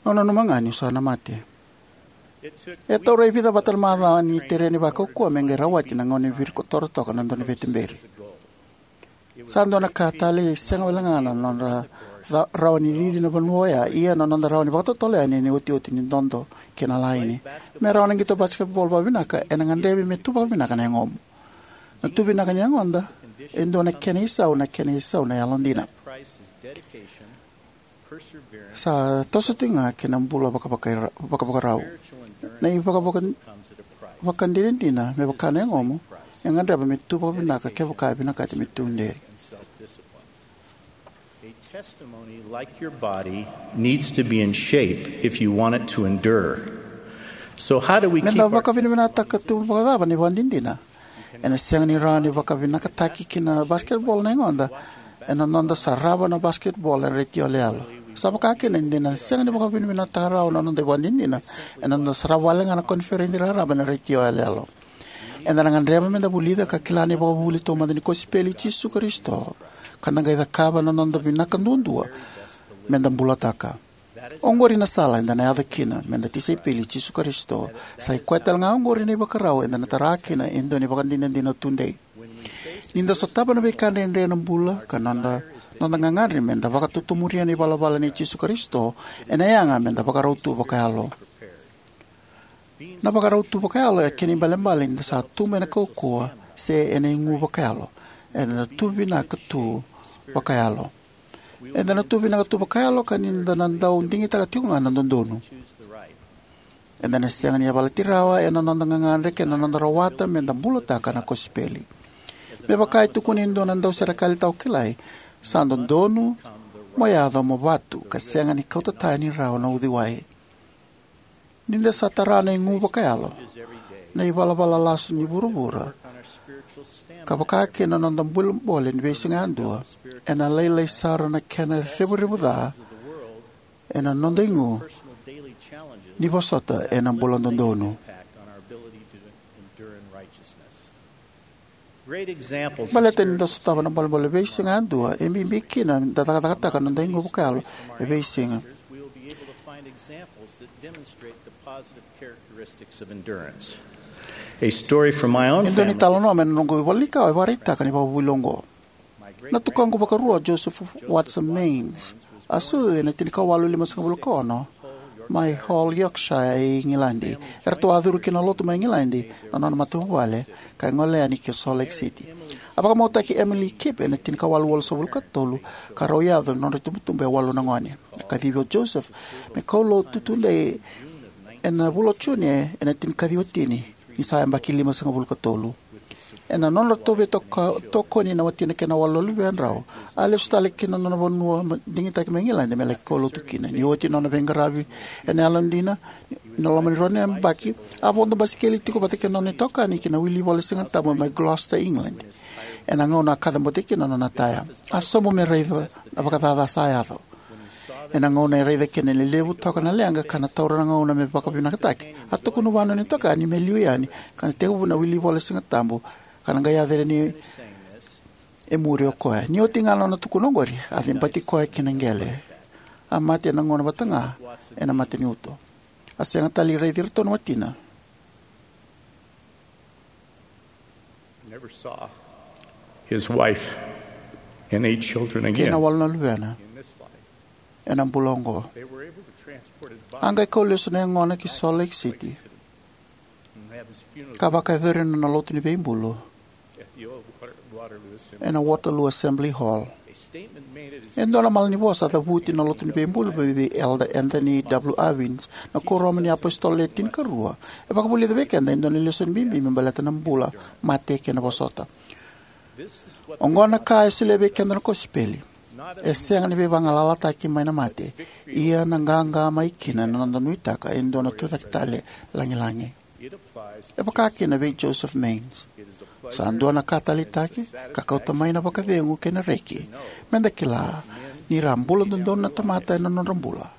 Au nanuma ga niu sa na mate. E taura e vica vata na macawa ni tere ni vakaukauwa me qai rawati na gauna ni virikotora toka na dua na veituberi. Sa dua na ka talei sega wale ga na nodra ca- rawa ni cici na vanua oya, ia na noda rawa ni vakatotolo yani ena iotioti ni dodo kei na laini. Me rawa na qito basketball vakavinaka, ena gadrevi me tu vakavinaka na yagomu. Na tu vinaka ni yagoda e dua na kena isau, na kena isau na yalodina. Sa toso tiko ga kei na bula vakavakara- vakavakarau. Na ivakavaka- vakadinadina me vaka na yagomu e gadreva me tu vakavinaka kevaka e vinakati me tu dei. A testimony like your body needs to be in shape if you want it to endure. So how do we keep Meda our vakavinavinakataka tu vakacava na ivakadinadina? Ena sega ni rawa ni vakavinakataki ki na basketball na yagoda ena noda sarava na basketball ena retio yaloyalo. Sa vaka kina ni da na sega ni vakavinavinakataka rawa na noda ivakadinadina ena noda sarava wale ga na koniferedi raraba ena retio yaloyalo. Eda na gadreva meda vulica ka kila na ivakavuvuli taumada ni kosipeli i Jisu Karisito, ka da qai cakava na noda vinaka duadua meda bulataka. Oqori na sala eda na yaco kina meda tisaipeli i Jisu Karisito. Sa i koya tale ga oqori na ivakarau eda na tara kina e dua na ivakadinadina tudei. Ni da sotava na veika dredre ena bula ka noda, noda gagadre meda vakatotomuria na ivalavala nei Jisu Karisito, ena yaga meda vakarau tu vakayalo. Na vakarau tu vakayalo e kena ibalebale ni da sa tu mai na kaukauwa se ena igu vakayalo. Eda na tu vinaka tu vakayalo. Eda na tu vinaka tu vakayalo ka ni da na dau digitaka tiko ga na dodonu. Eda na sega ni yavalati rawa ena noda gagadre kei na noda rawata meda bulataka na kosipeli. Me vaka e tukuna e dua na dauserekali tawa kilai, sa dodonu mo yaco mo vatu ka sega ni kauta tani rawa na uciwai. Ni da sa tara na igu vakayalo, na ivalavala lasu ni vuravura, ka vaka kina na noda bolebole ni veisiga yadua, ena lailai sara na kena revurevu ca ena noda igu ni vosota ena bula dodonu. Baleta ni da sotava na bolebole veisiga yadua, e bibi kina da cakacakataka na noda igu vakayalo e veisiga. E dua na italanoa mai na noqu ivola ni kawa e vakaraitaka na ivakavuvuli oqo. Na tukaqu vakarua o Joseph Watson Maynes, a sucu ena tinikawalu limasagavulu ka ono, mai Hall, Yorkshire, e Igiladi. Eratou a curu ki na lotu mai Igiladi na nona matavuvale, ka gole yani ki Salt Lake City. A vakamautaki Emily Kipp ena tinikawalu walusagavulu ka tolu, ka rau yaco na nodra itubutubu e walu na gone. A kacivi o Joseph me kaulotu tudei ena vula o June ena tinikaciwa tini, ni sa yabaki limasagavulu ka tolu. Ena nodratou veitokoni na watina kei na walu na luvedrau, a lesu tale ki na nona vanua ma- digitaki mai Igiladi me laki kaulotu kina. Ni oti nona veiqaravi ena yalodina, ena loma ni rua na yabaki, a vodo basikeli tiko vata kei na nona itokani ki na wili ivola Sigatabu mai Gloucester, England. Ena gauna a kacabote kina na nona taya, a sobu me raica na vakacaca sa yaco. Ena gauna e raica kina ni levu toka na leqa ka na taura na gauna me vakavinakataki, a tukuna vua na nona itokani me liu yani ka na tekivu na wili ivola Sigatabu, ka na qai yaco yani e muri o koya. Ni oti ga na nona tukuna oqori, a cibati koya ki na qele. A mate ena gauna vata ga ena mataniuto. A sega tale ni raici iratou na watina his wife and eight children kei na again. Walu na luvena ena bula oqo. A qai kau lesu na yagona ki Salt Lake City, ka vakayacori na nona lotu ni veibulu ena Waterloo Assembly Hall. E dua na malanivosa a cavuti na lotu ni veibulu vei Elder Anthony W. Irwin, na Kuoramu ni iApositolo Le Tinikarua, e vakavulica vei keda e dua na lesoni bibi me baleta na bula, mate kei na vosota. Oqo na ka e solia vei keda na kosipeli. E sega ni veivagalalataki mai na mate, ia na qaqa mai kina na noda nuitaka e dua na tucake tale lagilagi. E vaka kina vei Joseph Maynes. Sa dua na ka taleitaki ka kauta mai na vakacegu kei na reki meda kila ni ra bula dodonu na tamata ena nodra bula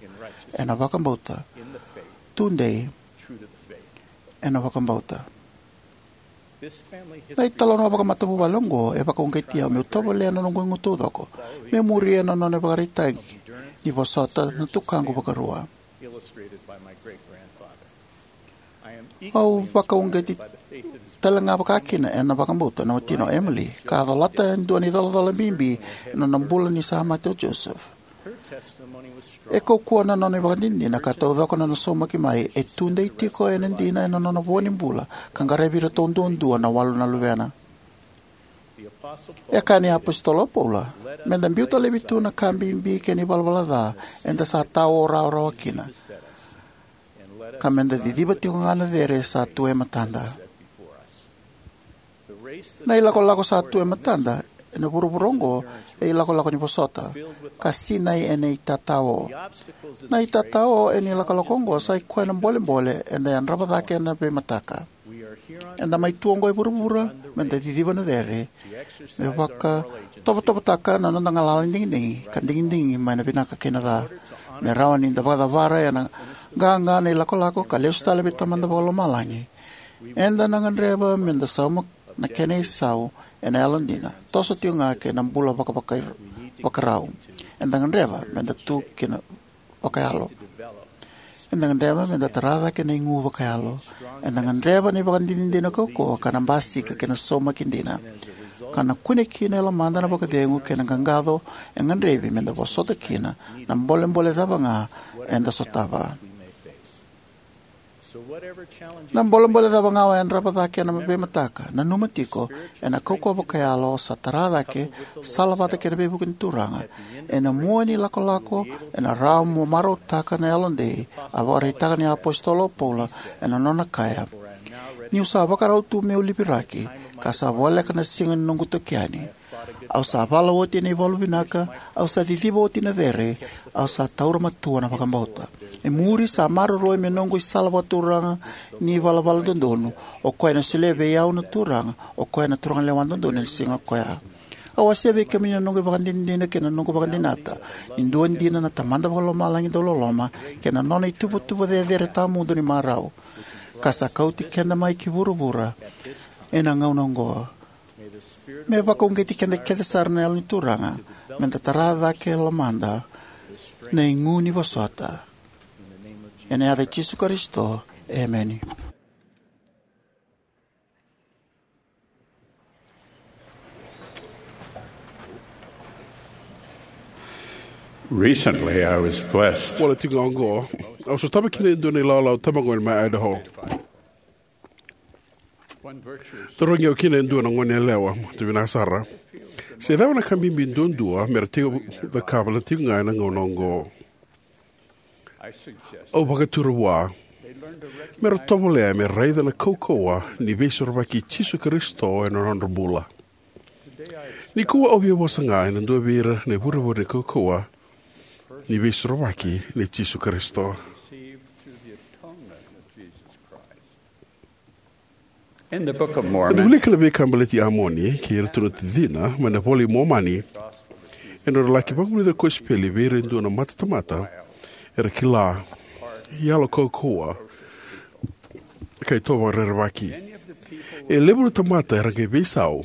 ena vakabauta, tudei ena vakabauta. Na italanoa vakamatavuvale oqo e vakauqeti au meu tovolea na noqu igu taucoko meu muria na nona ivakaraitaki ni vosota na tukaqu vakarua. Au vakauqeti talega vakakina ena vakabauta na watina o Emily, ka a colata e dua na icolacola bibi ena nona bula ni sa mate o Joseph. E kaukauwa na nona ivakadinadina ka taucoko na nona saumaki mai e tudei tiko ena dina ena nona vo ni bula ka qaravi iratou duadua na walu na luvena. E kaya na iApositolo o Paula, meda biuta laivi tu na ka bibi kei na ivalavala ca eda sa tao rawarawa kina, ka meda ciciva tiko ga na cere sa tu e matada. Na ilakolako sa tu e matada ena vuravura oqo e ilakolako ni vosota, ka sinai ena itatao. Na itatao ena ilakolako oqo sa ikoya na bolebole eda yadrava cake ena veimataka. Eda mai tu oqo e vuravura meda ciciva na cere, me vakatovotovotaka na noda galala ni digidigi ka digidigi mai na vinaka kei na ca, me rawa ni da vakacavara ena qaqa na ilakolako ka lesu tale vei Tamada Vakalomalagi. Eda na gadreva meda sauma na kena isau ena yalodina, toso tiko ga kei na bula vakavakaivakarau. Eda gadreva meda tu kina vakayalo. Eda gadreva meda tara cake na igu vakayalo. Eda gadreva na ivakadinadina kaukauwa ka na basika kei na saumaki dina, ka na kune kina e lomada na vakacegu kei na qaqaco e gadrevi meda vosota kina na bolebole cava ga eda sotava. Na bolebole cava ga o yadrava cake ena veimataka, nanuma tiko, ena kaukauwa vakayalo sa tara cake, salavata kei na veivuke ni Turaga. Ena mua ni lakolako, ena rawa mo marautaka na yalodei, a vakaraitaka na iApositolo o Paula ena nona kaya: Niu sa vakarau tu meu liviraki, ka sa voleka na siga ni noqu toki yani. Au sa vala oti na ivalu vinaka, au sa ciciva oti na cere, au sa taura matua na vakabauta. E muri sa maroroi me noqu isala vakaturaga ni valavala dodonu, o koya ena solia vei au na Turaga, o koya na Turaga lewa dodonu ena siga koya. Au wasea vei kemuni na noqu ivakadinadina kei na noqu vakadinata ni dua dina na Tamada Vakalomalagi dau loloma kei na nona ituvatuva cecere tawamudu ni marau, ka sa kauti keda mai ki vuravura ena gauna oqo. Me vakauqeti keda kece sara na Yalo ni Turaga meda tara cake e lomada na igu ni vosota. Ena yaca i Jisu Karisito, emeni. Recently, I was blessed. Wale tiko ga oqo, au sotava kina e dua na ilawalawa tabagone mai Idaho. Tarogi au kina e dua na gone yalewa, tu vinaka sara, se cava na ka bibi duadua me ra tiko cakava na tiko ga ena gauna oqo. Au vakatura vua me ra tovolea me raica na kaukauwa ni veisorovaki i Jisu Karisito ena nodra bula. Nikua au via vosa ga ena dua vei ira na ivurevure ni kaukauwa ni veisorovaki nei Jisu Karisito. Ena wilika na veika baleti Amoni kei iratou na tacina mai na iVola i Momani, ena nodra laki vakavulica na kosipeli vei ira e dua na matatamata era kila, yalo kaukauwa, ka itovo vakarerevaki. E levu na tamata era qai veisau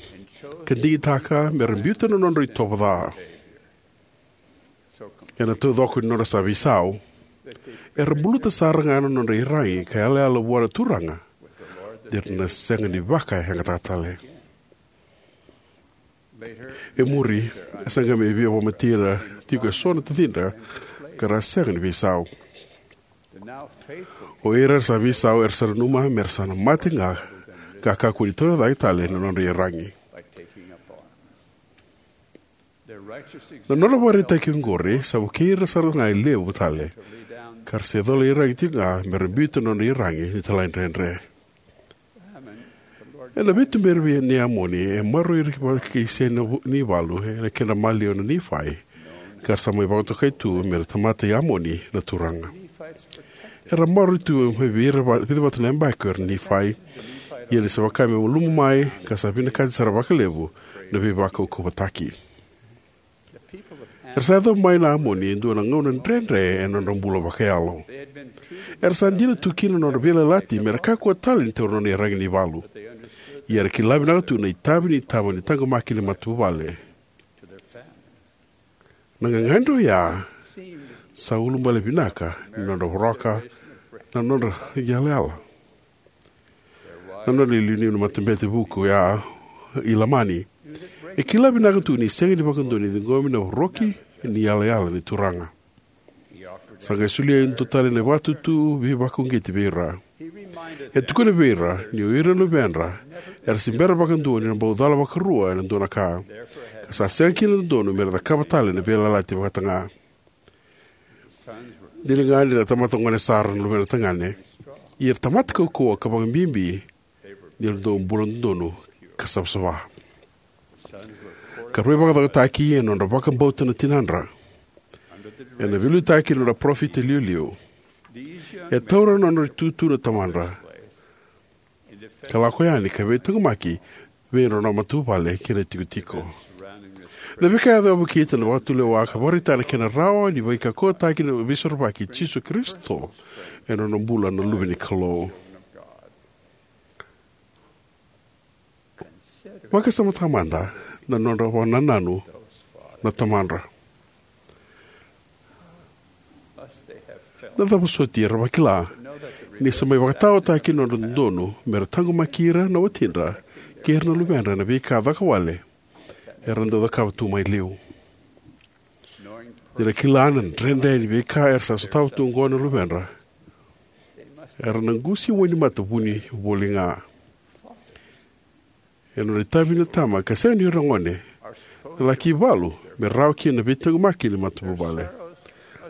ka digitaka me ra biuta na nodra itovo ca. Ena taucoko ni nodra sa veisau, era buluta sara ga na nodra iyaragi ka yalayala vua na Turaga, ni ra na sega ni vakayagataka tale. E muri, e sa qai mai via vakamatei ira tiko eso na tacidra ka ra sega ni veisau. O ira era sa veisau era sa nanuma me ra sa na mate ga ka kakua ni tauyacaki tale na nodra iyaragi. Na nodra ivakaraitaki oqori sa vukei ira sara ga e levu tale, ka ra sa icola iyaragi tiko ga me ra biuta na nodra iyaragi ni talaidredre. Ena veituberi vei nei Amoni e maroroi ira vaka-Isena ni ivalu ena kedra maliwa na Nifai, ka ra sa mai vakatokai tu me ra tamata i Amoni na Turaga. Era maroroi tu mai vei ira va-, vica vata na yabaki o ira na Nifai, ia ni sa vaka me malumu mai ka sa vinakati sara vakalevu na veivakaukauwataki. Era sa yaco mai na Amoni e dua na gauna dredre ena nodra bula vakayalo. Era sa dina tu kina na nodra veiyalayalati me ra kakua tale ni taura na nona iyaragi ni valu. Ia era kila vinaka tu na itavi ni tama ni taqomaki ni matavuvale. Na gagadre oya sa ulubale vinaka ni nodra voroka na nodra yalayala. Na nodra iliuliu na matabete vuku ya i Lamani. E kila vinaka tu ni sega ni vakadua ni ciqomi na voroki ni yalayala ni Turaga. Sa qai solia e dua tale na vakatutu veivakauqeti vei ira. E tukuna vei ira ni o ira na luvedra era se bera vakadua ni ra bau cala vakarua ena dua na ka, ka sa sega kina na dodonu me ra cakava tale na veiyalayalati vata ga. Dina ga ni ra tamata gone sara na luvedra tagane, ia era tamata kaukauwa ka vakabibi ni ra dau bula dodonu ka savasava. Ka ra veivakacaucautaki ena nodra vakabauta na tinadra, ena veiliutaki ni nodra parofita iliuliu. E taura na nodra itutu na tamadra ka lako yani ka veitaqomaki vei ira na nodra matavuvale kei na itikotiko. Na veika e yaco e vukei ena vakatulewa ka vakaraitaka na kena rawa ni veikauwaitaki na Veisorovaki i Jisu Karisito ena nodra bula na luve ni Kalou. Vakasamataka mada na nodra vakanananu na tamadra. Na cava soti era vakila ni sa mai vakataotaki na nodra dodonu me ra taqomaki ira na watidra kei ira na luvedra ena veika cakacaka wale era dau cakava tu mai liu. Ni ra kila na dredre ni veika era sa sotava tu oqo na luvedra, era na qusi wainimata vuni voli ga. Ena nodra itavi na tama ka sega ni o ira na gone, na laki valu me rawa kina na veitaqomaki ni matavuvale.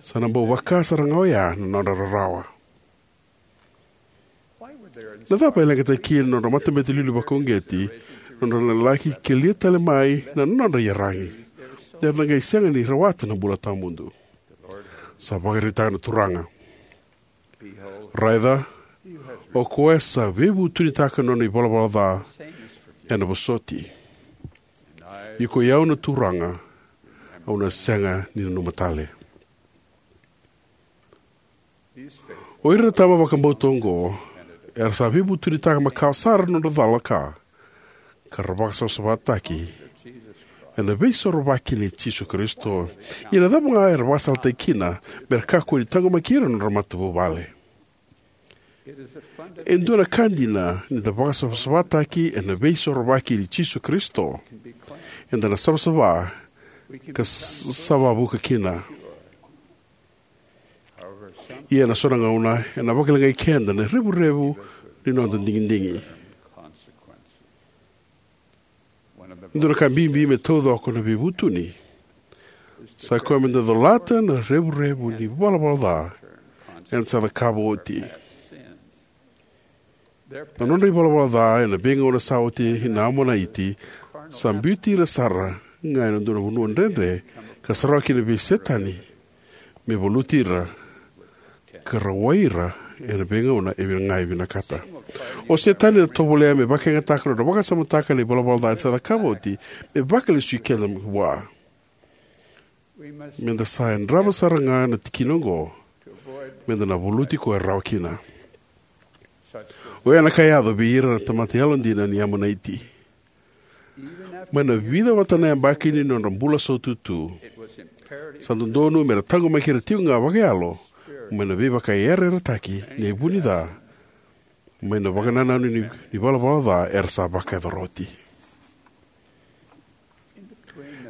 Sa na bau vaka sara ga oya na nodra rarawa. Na cava e leqataki kina na nodra matabete iliuliu vakauqeti na nodra na laki kelia tale mai na nodra iyaragi, ni ra na qai sega ni rawata na bula tawamudu? Sa vakaraitaka na Turaga: Raica, o koya sa veivutunitaka na nona ivalavala ca ena vosoti. Ia koi au na Turaga, au na sega ni nanuma tale. O ira na tama vakabauta oqo era sa veivutunitaka makawa sara na nodra cala ka, ka ra vakasavasavataki ena Veisorovaki nei Jisu Karisito. Ia na cava ga era vakasalataki kina me ra kakua ni taqomaki ira na nodra matavuvale? E dua na ka dina ni da vakasavasavataki ena Veisorovaki nei Jisu Karisito. Eda na savasava ka s-, sa vakavuka kina. Ia ena so na gauna ena vakaleqai keda na revurevu ni noda digidigi. E dua na ka bibi me taucoko na veivutuni sa koya me da colata na revurevu ni valavala ca eda sa cakava oti. Na nodra ivalavala ca ena veigauna sa oti na Amonaiti sa biuti ira sara ga ena dua na vanua dredre ka sarawa kina vei Setani me valuti ira ka rawai ira ena veigauna e vina ga e vinakata. O Setani ena tovolea me vakayagataka na nodra vakasamataka na ivalavala ca eda sa cakava oti me vakalesui keda vua. Me da sa yadrava sara ga na tikina oqo me da na valuti koya rawa kina. Oya na ka e yaco vei ira na tamata yalodina ni Amonaiti. Mai na vica vata na yabaki ni nodra bula saututu, sa dodonu me ra taqomaki ira tiko ga vakayalo mai na veivakayarayarataki ni vunica mai na vakanananu ni, ni valavala ca era sa vakayacora oti.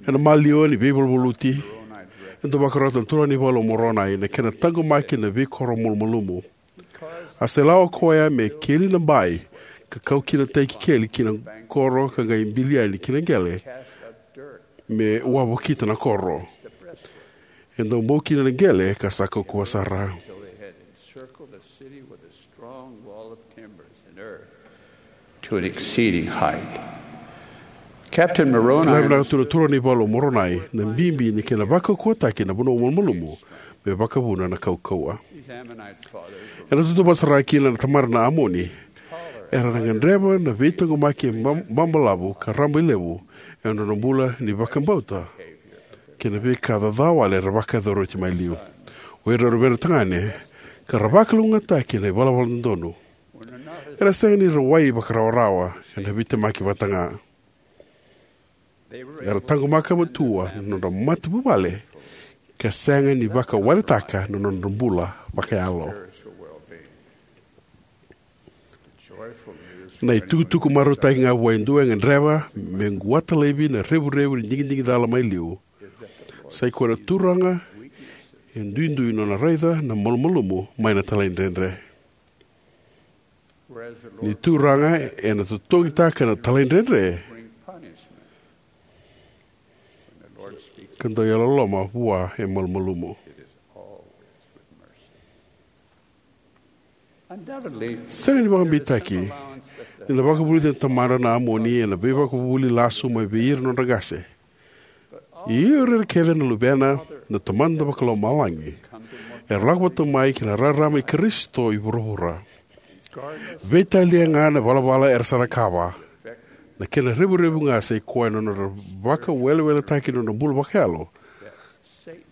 Ena maliwa ni veivaluvaluti, e dau vakarota na turaga ni Vale o Moronai na kena taqomaki na veikoro malumalumu. A sela o koya me keli na bai ka kau kina tai keli ki na koro ka qai bili yani ki na qele me wavokita na koro. E dau bau kina na qele ka sa kaukauwa sara. To an exceeding height. Captain Moroni. Kila vinaka tu na turaga ni Vale o Moronai na bibi ni kena vakaukauwataki na vanua malumalumu me vakavuna na kaukauwa. Ena tautauvata sara kina na tamata na Amoni, era na gadreva na veitaqomaki bab-, babalavu ka rabailevu ena nodra bula ni vakabauta kei na veika caca wale era vakayacora oti mai liu. O ira na luvedra tagane ka ra vakalougatataki ena ivalavala dodonu. Era sega ni rawai vakarawarawa ena veitemaki vata ga. Era taqomaka matua na nodra matavuvale ka sega ni vakawaletaka na nodra bula vakayalo. Na itukutuku marautaki ga vua e dua e gadreva me quata laivi na revurevu ni digidigi cala mai liu. Sai koya na Turaga e duidui nona raica na malumalumu mai na talaidredre. Ni Turaga ena totogitaka na talaidredre ka dau yalololoma vua e malumalumu. Sega ni vakabeitaki ni na vakavulici na tamadra na Amoni ena veivakavuvuli lasu mai vei ira na nodra qase. Ia o ira kece na luvena na Tamada Vakalomalagi era lako vata mai ki na rarama i Karisito i vuravura. Veitalia ga na valavala era sa cakava, na kena revurevu ga sai koya na nodra vakaweleweletaki na nodra bula vakayalo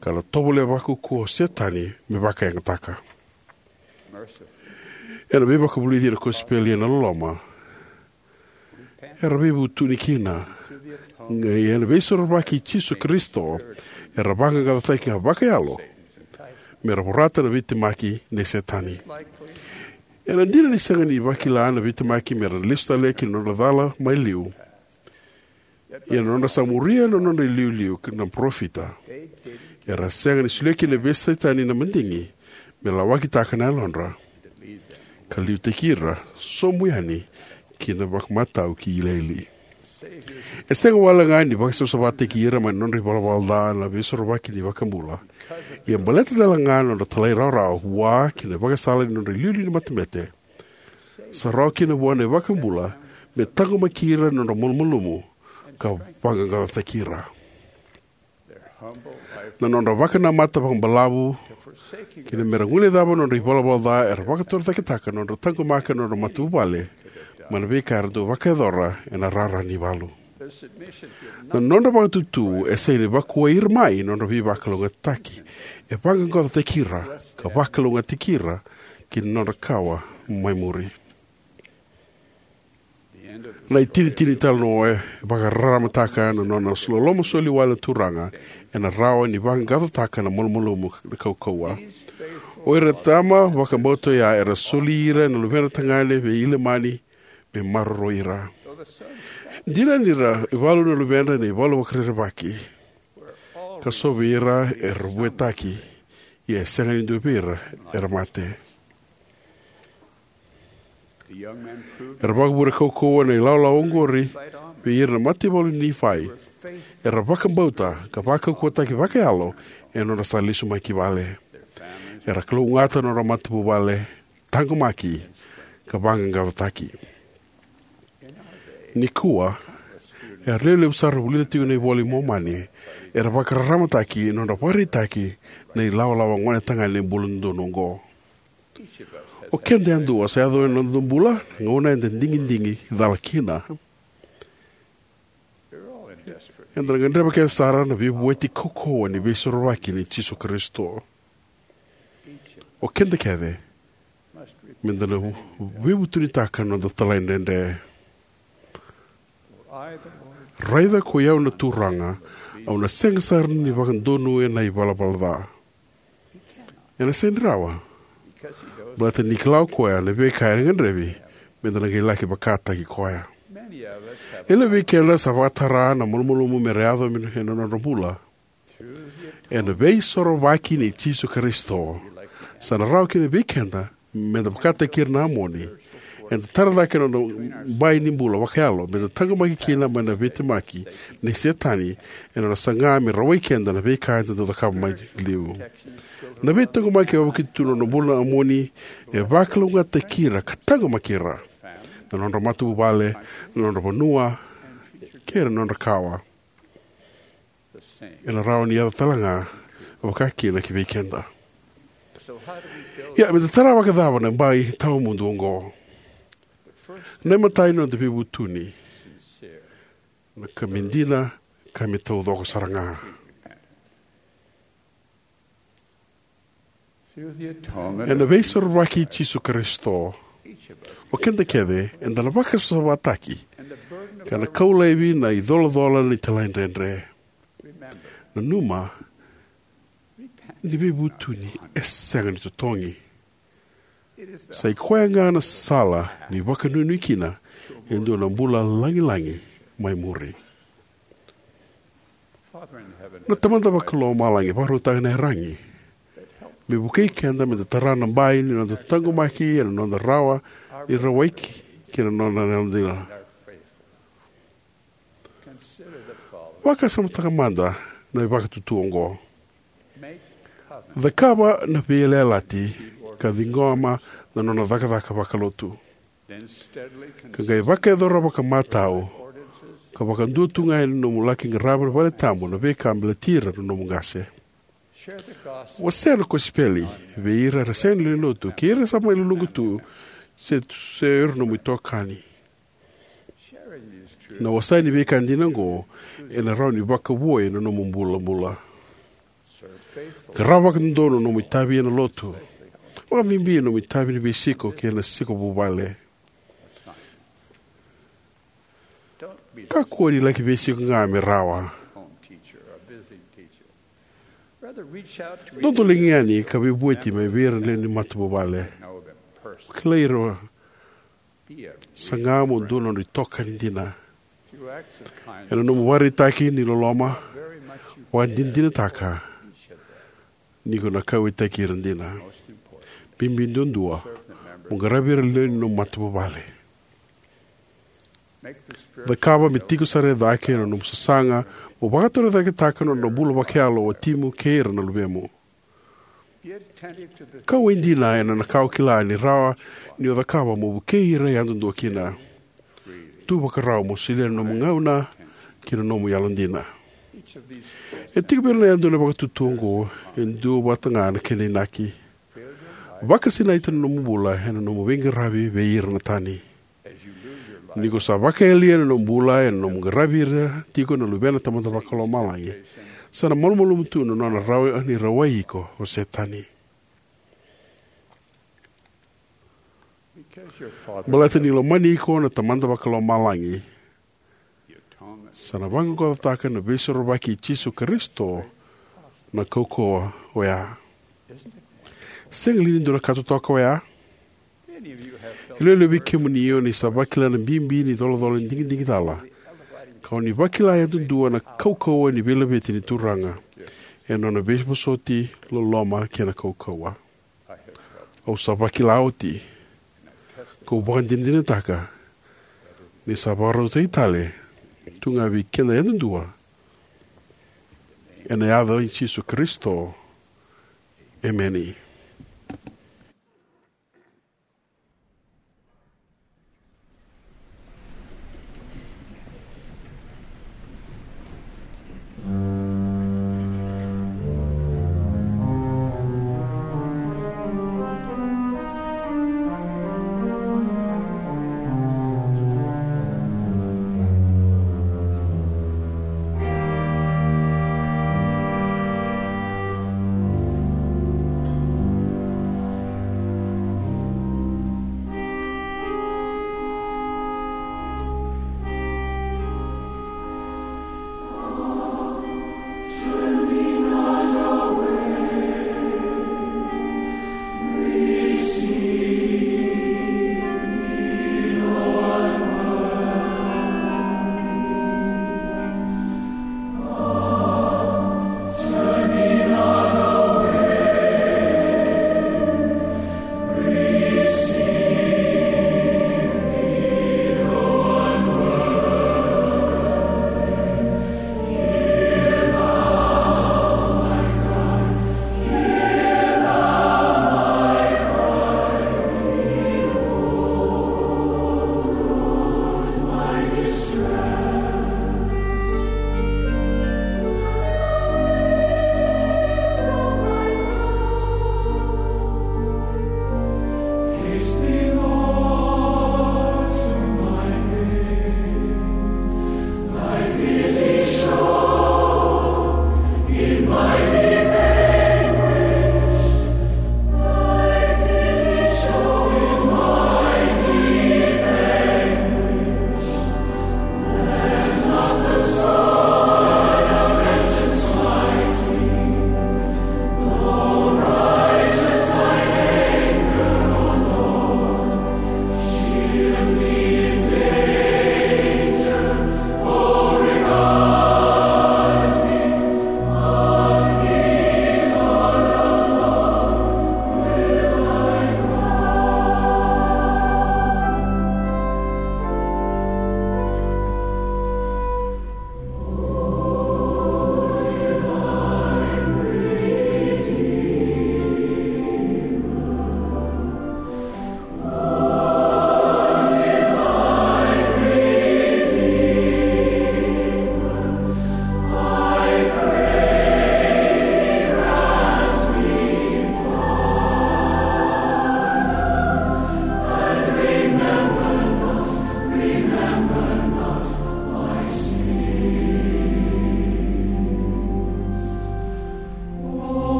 ka na tovolea vakaukauwa o Setani me vakayagataka. Ena veivakavulici ena kosipeli ena loloma, era veivutuni kina. Ia ena Veisorovaki i Jisu Karisito, era vaqaqacotaki ga vakayalo me ra vorata na veitemaki nei Setani. Ena dina ni sega ni vakila na veitemaki me ra lesu tale ki na nodra cala mai liu, ia na nodra sa muria na nodra iliuliu na parofita, era sega ni solia kina vei Setani na madigi me lawakitaka na yalodra ka liutaki ira sobu yani ki na vakamatau ki Iliili. E sega wale ga ni vakasavasavataki ira mai na nodra ivalavala ca na Veisorovaki ni iVakabula, ia baleta tale ga na nodra talairawarawa vua ki na ivakasala ni nodra iliuliu ni matabete, sa rawa kina vua na iVakabula me taqomaki ira na nodra malumalumu ka vaqaqacotaki ira. Na nodra vakanamata vakabalavu kina me ra guilecava na nodra ivalavala ca era vakatorocaketaka na nodra taqomaka na nodra matavuvale mai na veika era dau vakayacora ena rara ni valu. Na nodra vakatutu e sega ni vakuwai ira mai na nodra veivakalougatataki, e vaqaqacotaki ira ka vakalougatataki ira ki na nodra kawa mai muri. Na itinitini ni talanoa e vakararamataka na nona loloma soli wale na Turaga ena rawa ni vaqaqacotaka na malumalumu kaukauwa. O ira na tama vakabauta oya era soli ira na luvedra tagane vei Ilamani me maroroi ira. Dina ni ra ivalu na luvedra ena ivalu vakarerevaki, ka so vei ira era vuetaki, ia e sega ni dua vei ira era mate. Era vakavure kaukauwa na ilawalawa oqori vei ira na mataivalu ni Nifai. Era vakabauta ka vakaukauwataki vakayalo ena nodra sa lesu mai ki vale. Era kalougata na nodra matavuvale, taqomaki, ka vaqaqacotaki. Nikua, era levulevu sara vulica tiko na iVola i Momani, era vakararamataki na nodra vakaraitaki na ilawalawa gonetagane bula dodonu oqo. O keda yadua sa yaco ena noda bula na gauna eda digidigi cala kina. Eda na gadreva kece sara na veivueti kaukauwa ni Veisorovaki nei Jisu Karisito. O keda kece meda na veivutunitaka na noda talaidredre. Raica ko i au na Turaga, au na sega sara ni vakadonui ena ivalavala ca. Ena sega ni rawa, baleta ni kila o koya na veika ena gadrevi meda na qai laki vakataki koya. E levu vei keda sa vakatara na malumalumu me ra yaco ena nodra bula. Ena Veisorovaki nei Jisu Karisito, sa na rawa kina vei keda meda vakataki ira na Amoni. Eda tara cake na noda bai ni bula vakayalo meda taqomaki kina mai na veitemaki nei Setani, ena nona saga me rawai keda na veika eda dau cakava mai liu. Na veitaqomaki e vakauta tu na nodra bula na Amoni e vakalougatataki ira ka taqomaki ira, na nodra matavuvale, na nodra vanua, kei na nodra kawa. Ena rawa ni yaco tale ga vakakina ki vei keda. Ia, meda tara vakacava na bai tawamudu oqo? Na imatai, na noda veivutuni, na ka me dina, ka me taucoko sara ga. Ena Veisorovaki i Jisu Karisito, O keda kece eda na vakasavasavataki ka na kau laivi na icolacola ni talaidredre. Nanuma ni veivutuni e sega ni totogi. Sa i koya ga na sala ni vakanuinui kina e dua na bula lagilagi mai muri. Na Tamada Vakalomalagi e vakarautaka na iyaragi me vukei keda me da tara na bai ni noda taqomaki ena noda rawa ni rawai ki na noda yalodina. Vakasamataka mada na ivakatutu oqo. Cakava na veiyalayalati ka ciqoma na nona cakacaka vakalotu, ka qai vakayacora vakamatau ka vakadua tu ga ena nomu laki qarava na valetabu na veika baleti ira na nomu qase. Wasea na kosipeli vei ira era sega ni lewenilotu kei ira sa mai luluqa tu se, se o ira na nomu itokani. Na wasea ni veika dina oqo ena rawa ni vakavoui ena nomu bulabula. Qarava vakadodonu na nomu itavi ena lotu, vakabibi na nomu itavi ni veisiko kei na siko vuvale. Kakua ni laki veisiko ga me rawa. Dodoliga yani ka veivueti mai vei ira na lewe ni matavuvale. Kilai ira, saga mo dua na nodra itokani dina. Ena nomu vakaraitaki ni loloma, vakadinadinataka ni ko na kauwaitaki ira dina. Bibi duadua, mo qaravi ira na lewe ni nomu matavuvale. Cakava me tiko sara e cake na nomu sasaga mo vakatorocaketaka na nodra bula vakayalo o watimu kei ira na luvemu. Kauwai dina ena ka o kila ni rawa ni o cakava mo vukei ira yadudua kina. Tu vakarau mo solia na nomu gauna kei na nomu yalodina. E tiko vei ira na yadua na vakatutu oqo e dua vata ga na kena inaki. Vakasinaita na nomu bula ena nomu veiqaravi vei ira na tani. Ni ko sa vakayalia na nomu bula ena nomu qaravi ira tiko na luvena Tamada Vakalomalagi, sa na malumalumu tu na nona rawa ni rawai iko o Setani. Baleta ni lomani iko na Tamada Vakalomalagi, sa na vaqaqacotaka na Veisorovaki i Jisu Karisito na kaukauwa oya. Sega li ni dua na ka totoka oya? E lewe vei kemuni o ni sa vakila na bibi ni colacola ni digidigi cala, ka o ni vakila yadudua na kaukauwa ni veilaveti ni Turaga ena nona veivosoti, loloma kei na kaukauwa. Au sa vakila oti, kau vakadinadinataka ni sa vakarautaki tale tu ga vei keda yadudua. Ena yaca i Jisu Karisito, emeni.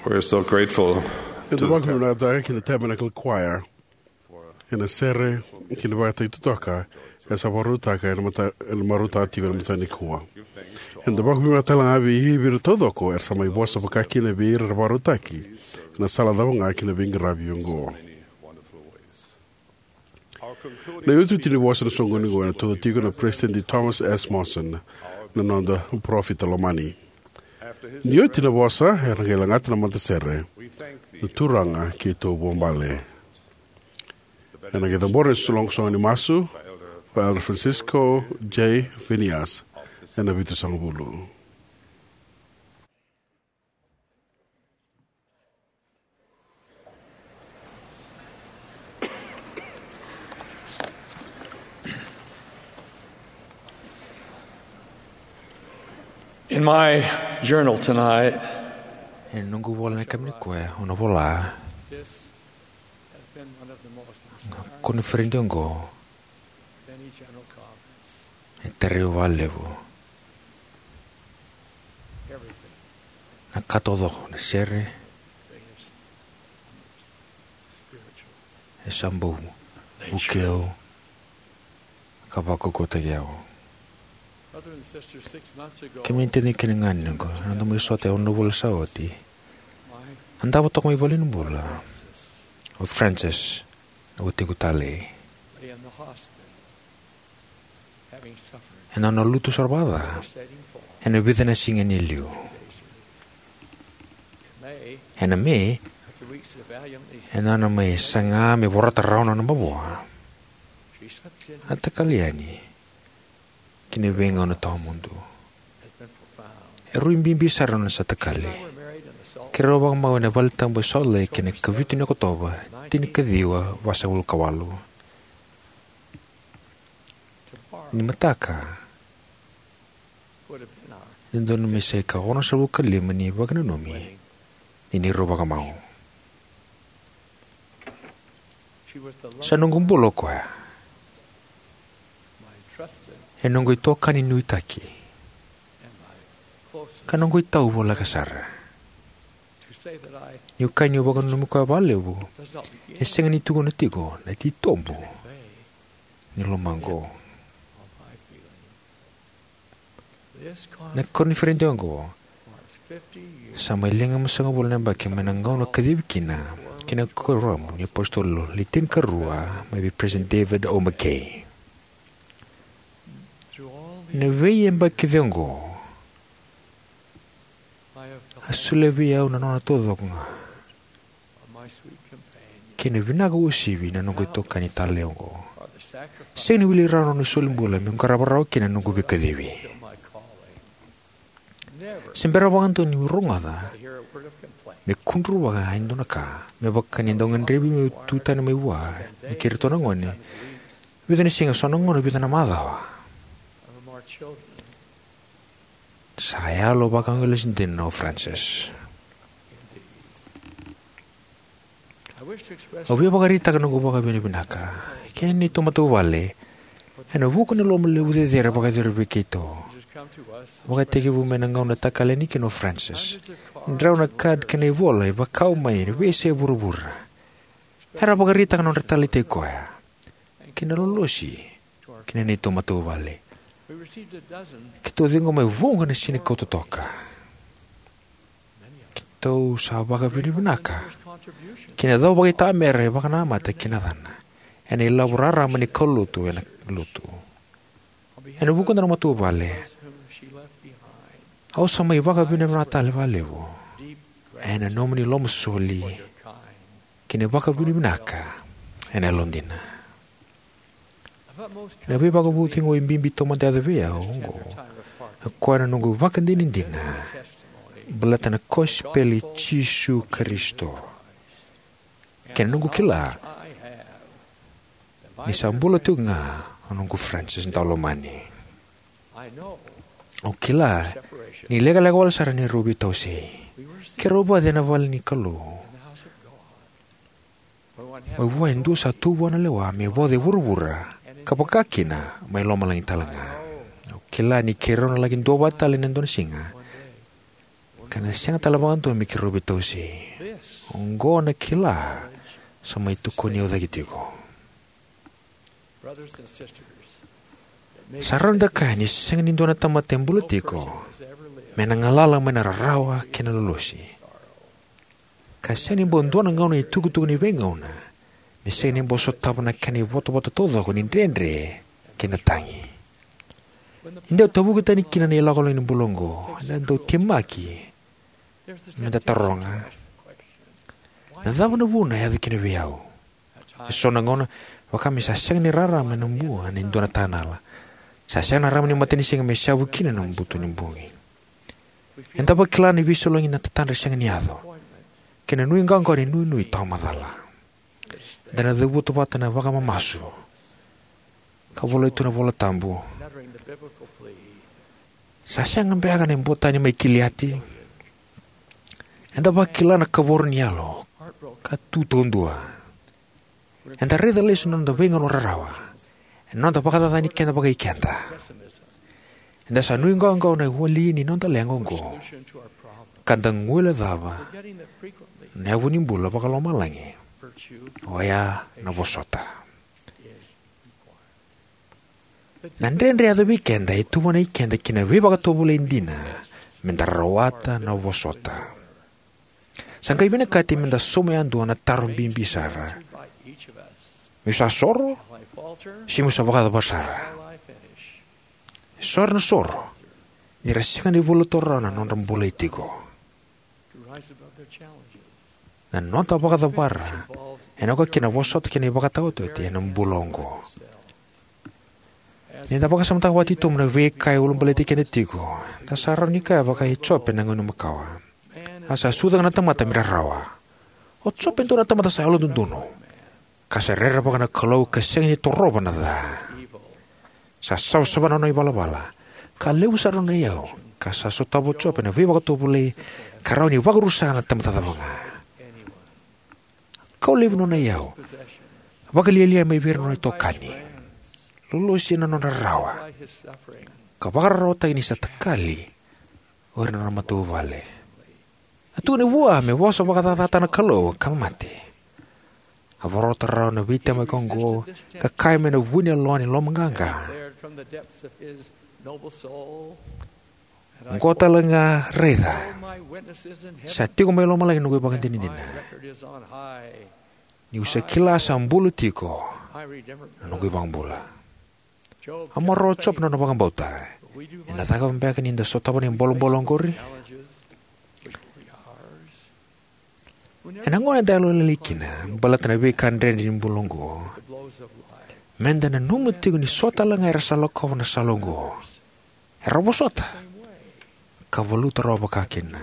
We're so grateful. Eda vakavinavinakataka ki na Tabernacle Choir ena sere kei na ivakatagi totoka era sa vakarautaka ena mata-, ena marautaka tiko ena mataka nikua. Eda vakavinavinaka talega vei ira taucoko era sa mai vosa vaka kina vei ira era vakarautaki ena sala cava ga ki na veiqaravi oqo. Na iotioti ni vosa ena soqoni oqo ena tauca tiko na Peresitedi Thomas S. Monson, na noda parofita lomani. Ni oti na vosa, era qai lagata na matasere, Na Turaga Keitou Vuabale. Ena qai cabora na soqosoqo ni masu, vei Elder Francisco J. Venias, ena vitusagavulu. In my journal tonight, ena noqu ivola ena yakavi nikua, au na vola, this has been one of the most inspiring koniferedi oqo, any general conference. E tarai au vakalevu. Everything. Na ka taucoko, na sere, e sa bau vukei au ka vakaukauwataki au. Brother and sister, six months ago, kemuni na taciqu kei na ganequ, ena noda mai sota e ono na vula sa oti, a davo toka mai valenibula o Francis, na watiqu talei. Lay in the hospital, having suffered, ena nona lutu sara vakaca, devastating fall, ena vica na siga ni liu. In May, ena Me, after weeks of valiantly, ena nona mai saga me vorata rawa na nona mavoa, she slipped in, a takali yani ki na veigauna tawamudu. Has been profound. E rui bibi sara na nona sa takali. We were married in the Salt Lake. Keirau vakamau ena valetabu e Salt Lake ena ikavitu ni Okotova, tinikaciwa vasagavulu ka walu. Ni mataka, e dodonu me sa ikaonosagavulu ka lima ni vakananumi ni neirau vakamau. Sa noqu bula o koya, e noqu itokani nuitaki, ka noqu itau voleka sara. Niu kaya niu vakananumi koya vakalevu, e sega ni tukuna tiko na titobu ni lomaqu. Na koniferedi oqo sa mai liga ma sagavulu na yabaki mai na gauna a kacivi kina ki na kuoramu ni apositolo le tinikarua mai vei President David O. McKay. Na veiyabaki kece oqo, a solia vei au na nona taucoko ga kei na vinaka uasivi na noqu itokani talei oqo. Sega ni wili rawa na nona soli bula meu qarava rawa kina na noqu veikacivi. Se bera vakadua niu rogoca me kudruvaka e dua na ka me vaka ni dau gadrevi meu tu tani mai vua me kei iratou na gone, vica na siga, so na gauna, vica na macawa. Sa yalo vakaqaliwai dina o Francis. Au via vakaraitaka noqu vakavinavinaka kei na neitou matavuvale ena vuku ni loma levu cecere vakayacori vei keitou, vakatekivu mai na gauna a takali yani kina o Francis. Drau na card kei na ivola e vakau mai ena veiyasai vuravura era vakaraitaka na nodra taleitaki koya kei na lolosi ki na neitou matavuvale. Keitou ciqoma e vuqa na sinikau totoka. Keitou sa vakavinavinaka ki na cau vakaitamera e vakanamata ki na yacana ena ilavo raraba ni kaulotu ena lotu. Ena vuku da na matavuvale, au sa mai vakavinavinaka tale vakalevu ena nomuni lomasoli kei na vakavinavinaka ena yalodina. Na veivakacegui bibi taumada e yaco vei au oqo, o koya na noqu ivakadinadina baleta na kosipeli i Jisu Karisito kei na noqu kila ni sa bula tiko ga o noqu Francis daulomani. Au kila ni lekaleka wale sara neirau veitawasei. Keirau vace ena vale ni Kalou. Mai vua e dua sa tu vua na lewa me voce e vuravura ka vaka kina mai lomalagi talega. Au kila ni keirau na laki duavata tale ena dua na siga. ka na sega tale vakadua me keirau veitawasei. Oqo na kila sa mai tokoni au cake tiko. Sa rawa ni da kaya ni sega ni dua na tamata e bula tiko me na galala mai na rarawa kei na lolosi, ka sega ni bau dua na gauna itukutuku ni veigauna me sega ni bau sotava na kena ivotavota taucoko ni dredre kei na tagi. Ni dau tavuki tani kina na ilakolako ni bula oqo, eda dau temaki me da taroga, na cava na vuna e yaco kina vei au? E so na gauna, vaka me sa sega ni rarama ena bua ni dua na tanala, sa sega na rarama ni matanisiga me seavu kina ena buto ni bogi. Eda vakila na veisolegi, na tatadra sega ni yaco, kei na nuiqawaqawa ni nuinui tawamacala. Eda na cavuta vata na vakamamasu ka volai tu na iVola Tabu. Sa sega beka na ibotani mai Kiliati? Eda vakila na kavoro ni yalo ka tu taudua. Eda raica lesu na noda veigauna rarawa, ena noda vakacacani keda vakaikeda. Eda sa nuiqawaqawa na wali ni noda leqa oqo, ka da guilecava na yavu ni bula vakalomalagi, oya na vosota. Na dredre e yaco vei keda e tuvana i keda ki na veivakatovolei dina me da rawata na vosota. Sa qai vinakati me da sauma yadua na taro bibi sara: Meu sa soro, se meu sa vakacava sara? E so era na soro ni ra sega ni valuta rawa na nodra bolei tiko. Na noda vakacavara ena oka kina na vosota kei na ivakataotioti ena bula oqo. Ni da vakasamataka vakatitobu na veika e ulabaleti keda tiko, eda sa rawa ni kaya vaka o Jope ena gauna makawa: A sa sucu ga na tamata me rarawa. O Jope e dua na tamata sa yalododonu, ka sa rerevaka na Kalou ka sega ni torova na ca. Sa savasava na nona ivalavala, ka levu sara na nona iyau, ka sa sotava o Jope na veivakatovolei ka rawa ni vakarusa na tamata cava ga. Kau laivi na nona iyau, vakalialia mai vei ira na nona itokani, lolosi ena nona rarawa, ka vakararawataki ni sa takali o ira na nona matavuvale. A tukuni vua me vosa vakacacataka na Kalou ka mate. A vorata rawa na veitemaki oqo ka kaya mai na vu ni yaloa ni lomaqaqa: Oqo talega, raica, sa tiko mai lomalagi na noqu ivakadinadina, niu sa kila sa bula tiko na noqu iVakabula. A maroroya o Jope na nona vakabauta. Eda cakava beka ni da sotava na bolebole oqori? Ena gauna eda yalolailai kina baleta na veika dredre ni bula oqo, meda nanuma tiko ni so talega era sa lakova na sala oqo era vosota ka valuta rawa vakakina.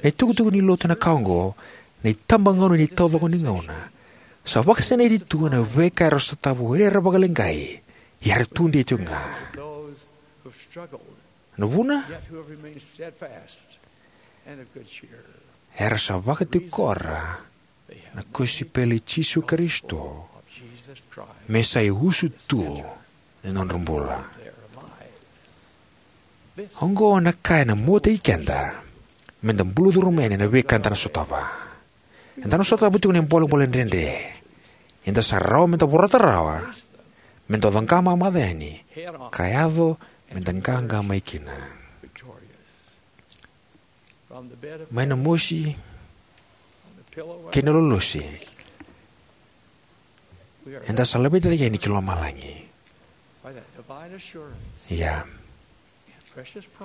Na itukutuku ni Lotu ena ka oqo, na itabagauna ni taucoko ni gauna, sa vakasinaiti tu ena veika era sotava o ira era vakaleqai, ia era tudei tiko ga. Na vuna? Era sa vakatikora na kosipeli i Jisu Karisito me sa iusutu ni nodra bula. Oqo na ka ena muataki keda meda bulucuru mai yani ena veika eda na sotava. Eda na sotava tiko na bolebole dredre. Eda sa rawa meda vorata rawa, meda coqa mamaca yani, ka yaco meda qaqa mai kina. Mai na mosi kei na lolosi, eda sa laveti cake yani ki lomalagi. Ia,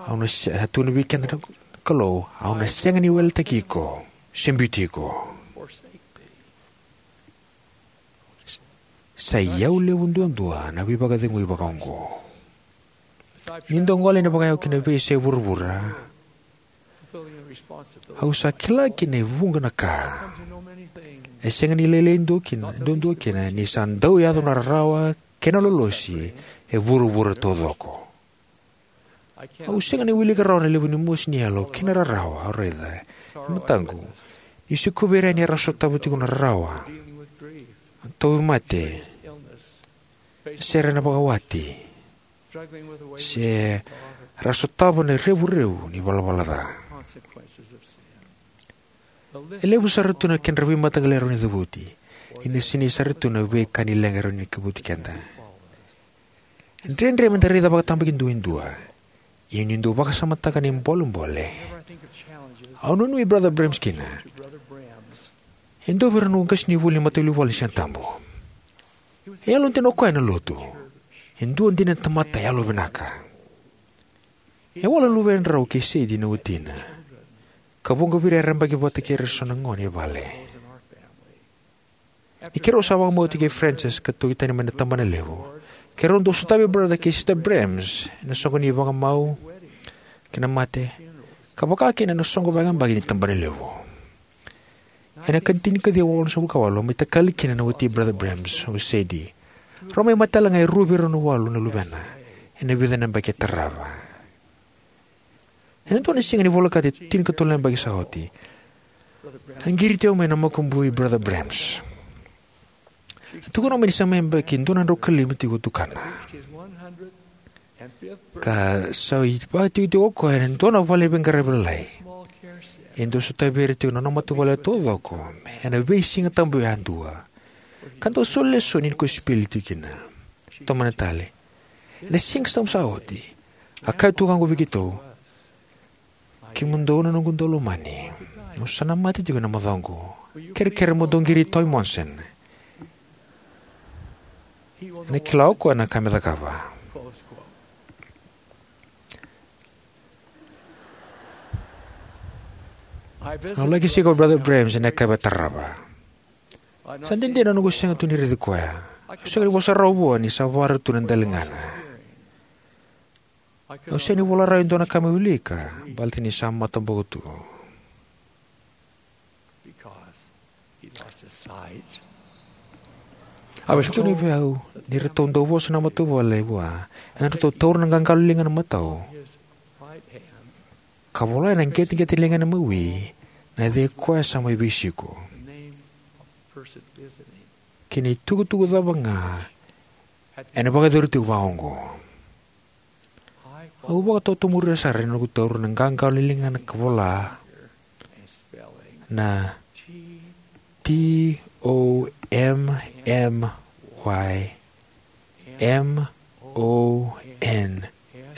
au na se-, a tukuna vei keda na Kalou, au na sega ni weletaki iko se biuti iko. Sa iyau levu duadua na veivakacegui vakaoqo. Niu dau gole yani vakayau ki na veiyasai vuravura, au sa kila kina e vuqa na ka. E sega ni lailai dua kina, duadua kina, ni sa dau yaco na rarawa kei na lolosi e vuravura taucoko. Au sega ni wilika rawa na levu ni mosi ni yalo kei na rarawa au raica e mataqu niu sikova ira yani era sotava tiko na rarawa, tauvimate, se ra na vakawati, se Ra sotava na revurevu ni valavala ca. E levu sara tu na kedra veimataqali e rawa ni cavuti, ia e sinai sara tu na veika ni leqa e rawa ni cavuti keda. E dredre meda raica vakatabakidua e dua, ia niu dau vakasamataka na ibolebole, au nuinui Brother Brems kina. E dua vei ira na noqu qasenivuli ni matavuvale ni Sigatabu. E yalodina o koya ena Lotu. E dua dina na tamata yalovinaka. E wale na luvedrau kei Sadie na watina, ka vuqa vei ira era yabaki vata kei ira eso na gone e vale. Ni keirau sa vakamau tiko kei Frances ka toki tani mai na tabanalevu, keirau dau sotavi Brother kei Sister Brems ena soqo ni vakamau kei na mate, ka vakakina ena soqo vakayabaki ni tabanalevu. Ena ikatinikadua walusagavulu ka walu, mai takali kina na wati Brother Brems, o Sadie. Rau mai mate tale ga e rua vei rau na walu na luvena ena vica na yabaki e tarava. Ena dua na siga ni volekati e tinikatolu na yabaki sa oti, a qiriti au mai na makubui Brother Brems. A tukuna mai ni sa mai yabaki dua na drau ka lima tiko tukana, ka sa ivakatikotiko o koya ena dua na vale ni veiqaravi lalai. E dau sotavi ira tiko na nona matavuvale taucoko ena veisiga tabu yadua, ka dau soli lesoni ni kosipeli tiko kina. Tomana tale, ena siga sa oti, a kaya tu ga oqo vei keitou: "Kemudou na noqu daulomani, au sa na mate tiko ena macawa oqo. Kerekere mo dou qiri Toy Monson." Ena kila o koya na ka me cakava. Au laki sika o Brother Brems ena yakavi e tarava. Sa dede na noqu sega tu ni raici koya. Au sega ni vosa rawa vua ni sa vara tu na daligana. Au sega ni vola rawa e dua na ka me wilika baleta ni sa mataboko tu. Au tukuna vei au ni ratou dau vosa na matavuvale vua ena nodratou taura na qaqalo ni ligana matau ka vola ena qeteqete ni ligana mawi na yaca koya sa mai veisiko kei na itukutuku cava ga ena vakayacori tiko vakaoqo. Au vakatotomuria sara ena noqu taura na qaqalo ni ligana ka vola na T O M M Y M O N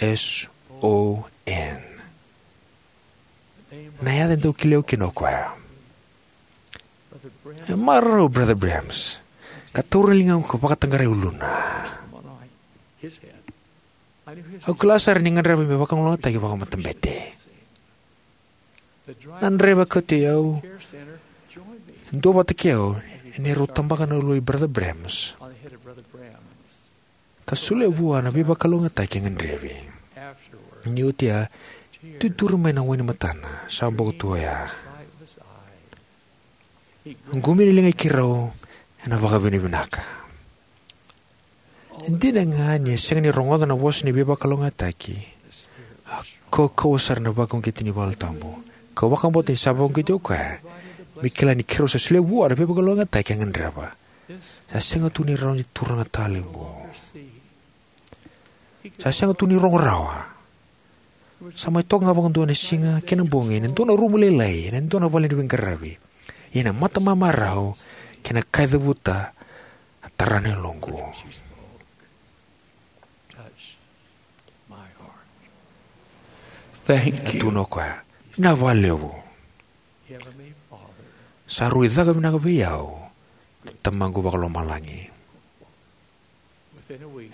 S O N. Na yaca e dau kilai au kina o koya. E marau Brother Brems, ka taura na ligaqu ka vakataqara e uluna. Au kila sara ni gadreva me vakalougatataki vakamatabete. Na draiva kauti au e dua vata kei au ena neirau tabaka na ulua i Brother Brems ka solia vua na veivakalougatataki e gadrevi. Ni oti ya, tuturi mai na wainimatana sa boko tu oya. A qumia na liga i keirau ena vakavinavinaka. E dina ga ni a sega ni rogoca na vosa ni veivakalougatataki, a kaukauwa sara na vakauqeti ni Yalo Tabu. Kau vakabauta ni sa vakauqeti o koya me kila ni keirau sa solia vua na veivakalougatataki e gadreva. Sa sega tu ni rawa ni turaga tale oqo. Sa sega tu ni rogo rawa. Sa mai toka ga vakadua na siga kei na bogi ena dua na rumu lailai ena dua na vale ni veiqaravi. Ia na matamamarau kei na ka e cavuta a tara na yaloqu. Thank you. Tukuna o koya, "Vinaka vakalevu. Sa rui caka vinaka vei au na Tamaqu Vakalomalagi."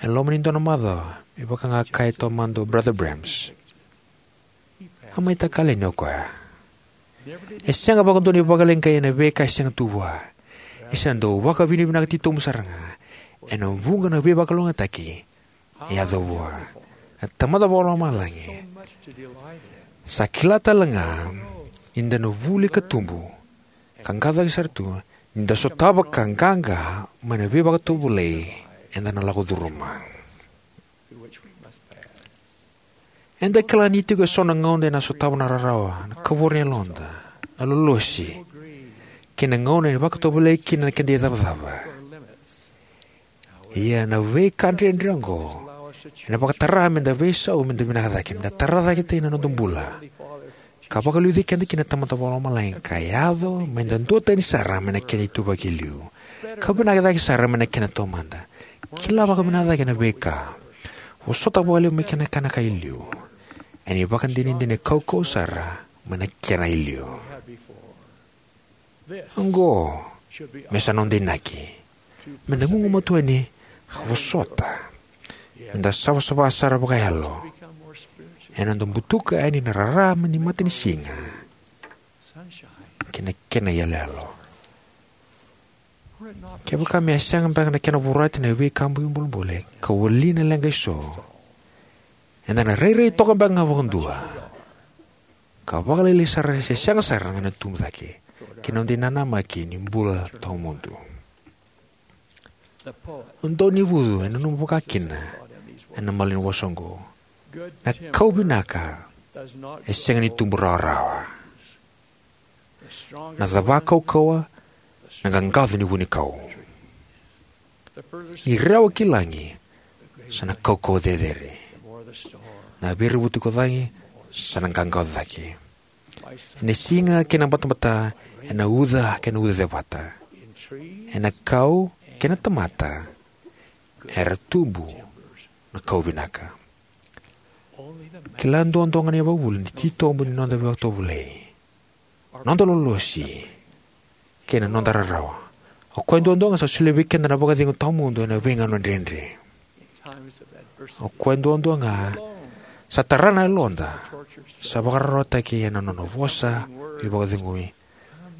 E loma ni dua na macawa, me vaka ga a kaya taumada o Brother Brems, a mai takali yani o koya. E sega vakadua ni vakaleqai ena veika e sega tu vua. E sa dau vakavinavinaka titobu sara ga ena vuqa na veivakalougatataki e yaco vua. Na Tamada Vakalomalagi sa kila tale ga ni da na vuli ka tubu ka qacaki sara tu ni da sotava ka qaqa mai na veivakatovolei eda na lako curuma. Eda kila ni tiko eso na gauna eda na sotava na rarawa, na kavoro ni yaloda, na lolosi, kei na gauna e vakatovolei kina na keda icavacava. Ia na veika dredre oqo Ena vakatara meda veisau, meda vinaka cake, meda tara cake tani na noda bula, ka vakaliuci keda kina na Tamada Vakalomalagi, ka yaco meda duatani sara mai na kena ituvaki e liu, ka vinaka cake sara mai na kena taumada. Kila vakavinaka cake na veika, vosota vakalevu mai kina na kena ka e liu, ena ivakadinadina e kaukauwa sara mai na kena e liu. Oqo me sa noda inaki, meda gugumatua yani ka vosota, meda savasava sara vakayalo ena noda butuka yani na rarama ni matanisiga kei na kena iyaloyalo. Kevaka me a sega beka na kena vorati na veika bogi bolebole ka wali na leqa eso, eda na rairai toka beka ga vakadua ka vakalailai sara se sega sara ga na tubu cake ki na noda inanamaki ni bula tawamudu. O Daunivucu e nanuma vaka kina ena malanivosa oqo: Na kau vinaka e sega ni tubu rawarawa. Na cava kaukauwa, na qaqaco ni vunikau. Ni rewa ki lagi, sa na kaukauwa cecere. Na veirevuti ko cagi, sa na qaqaco cake. Ena siga kei na batabata, ena uca kei na uca cevata, ena kau kei na tamata, era tubu na kau vinaka. Kila duadua ga na ivakavuvuli ni titobu ni noda veivakatovolei, noda lolosi, kei na noda rarawa. O koya duadua ga sa solia vei keda na vakacegu tawamudu ena veigauna dredre. O koya duadua ga sa tara na yaloda, sa vakararawataki ena nona vosa veivakacegui: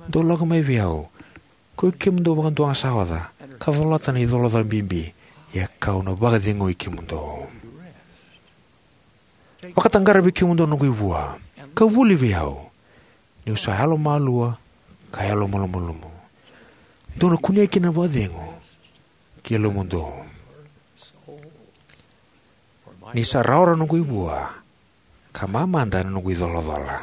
Dou lako mai vei au, koi kemudou vakadua ga sa oca ka colata na icolacola bibi, ia kau na vakacegui kemudou. Vakataqara vei kemudou na noqu ivua, ka vuli vei au, niu sa yalomalua ka yalomalumalumu. Dou na kunea kina na vakacegu ki yalomudou. Ni sa rawarawa na noqu ivua, ka mamada na noqu icolacola.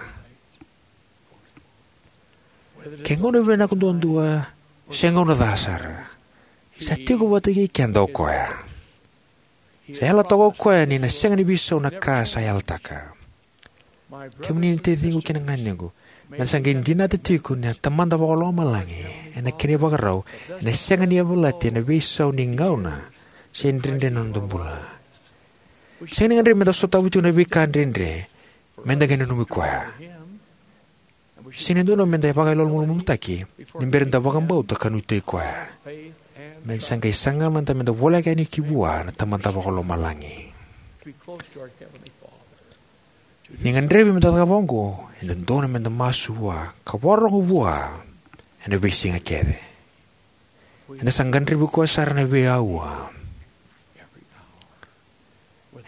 Ke gauna vinaka duadua se gauna ca sara, sa tiko vata kei keda o koya. Sa yalataka o koya ni na sega ni veisau na ka sa yalataka. Kemuni na taciqu kei na ganequ, meda sa qai dinata tiko ni na Tamada Vakalomalagi ena kena ivakarau ena sega ni yavalati ena veisau ni gauna se dredre na noda bula. Sega ni gadrevi meda sotava tiko na veika dredre meda qai nanumi koya. Sega ni dodonu meda vakayalomalumalumutaki ni bera ni da vakabauta ka nuitaki koya. Meda sa qai saga mada meda voleka yani ki vua na Tamada Vakalomalagi. Ni gadrevi meda cakava oqo, e dodonu meda masu vua ka vakarorogo vua ena veisiga kece. Eda sa gadrevi koya sara ena veiaua,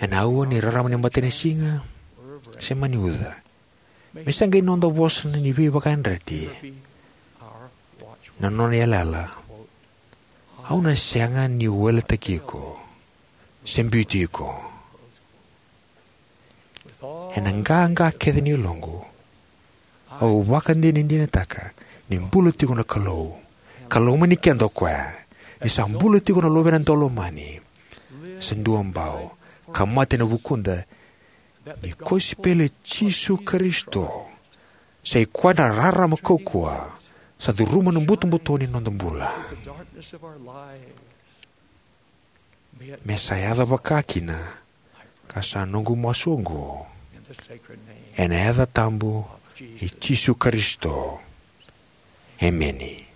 ena aua ni rarama ni matanisiga se mani uca. Me sa qai noda vosa ni veivakayadrati na nona yalayala: Au na sega ni weletaki iko se biuti iko. Ena qaqa kece ni yaloqu, au vakadinadinataka ni bula tiko na Kalou, ka lomani keda o koya, ni sa bula tiko na Luvena Daulomani sa duabau, ka mate ena vukuda, ni kosipeli i Jisu Karisito sa i koya na rarama kaukauwa sa curuma na butobuto ni noda bula. Me sa yaco vakakina, ka sa noqu masu oqo ena yaca tabu i Jisu Karisito. Emeni.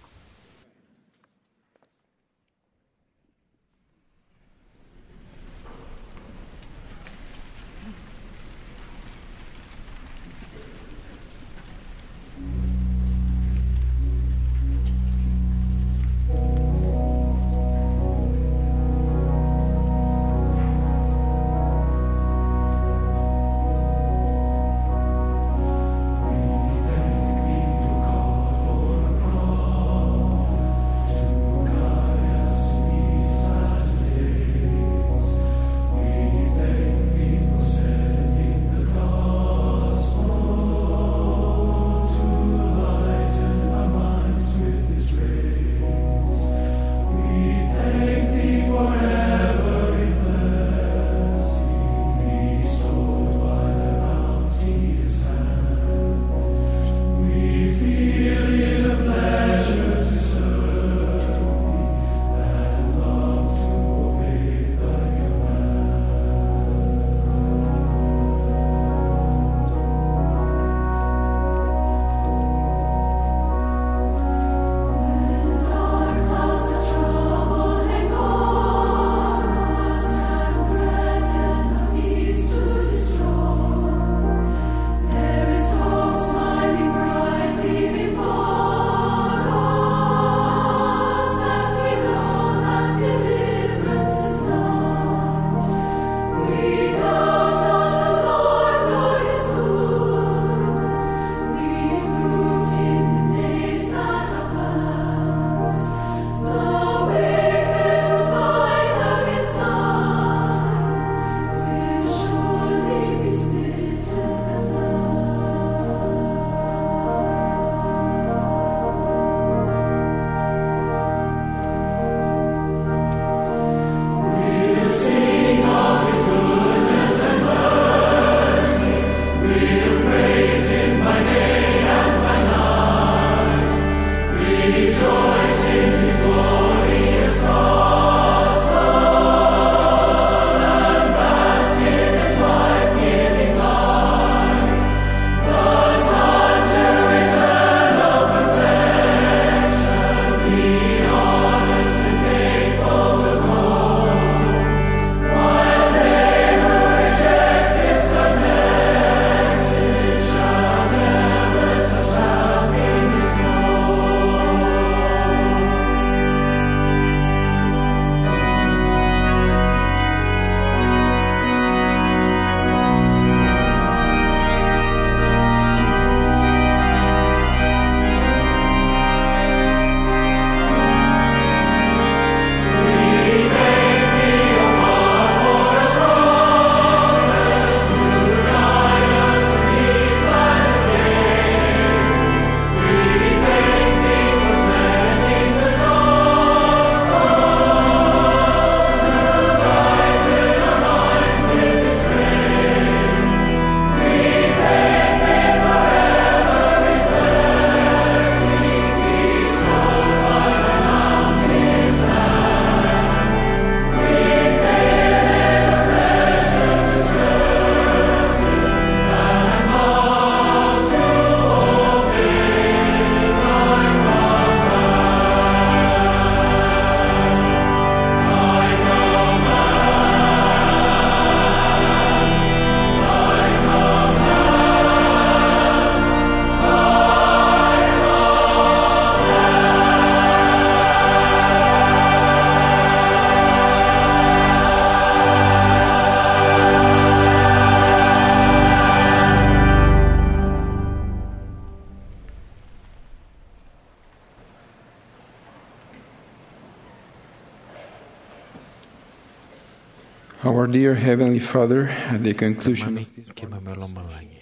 Our dear Heavenly Father, at the conclusion Mami of this keimami o lomalagi,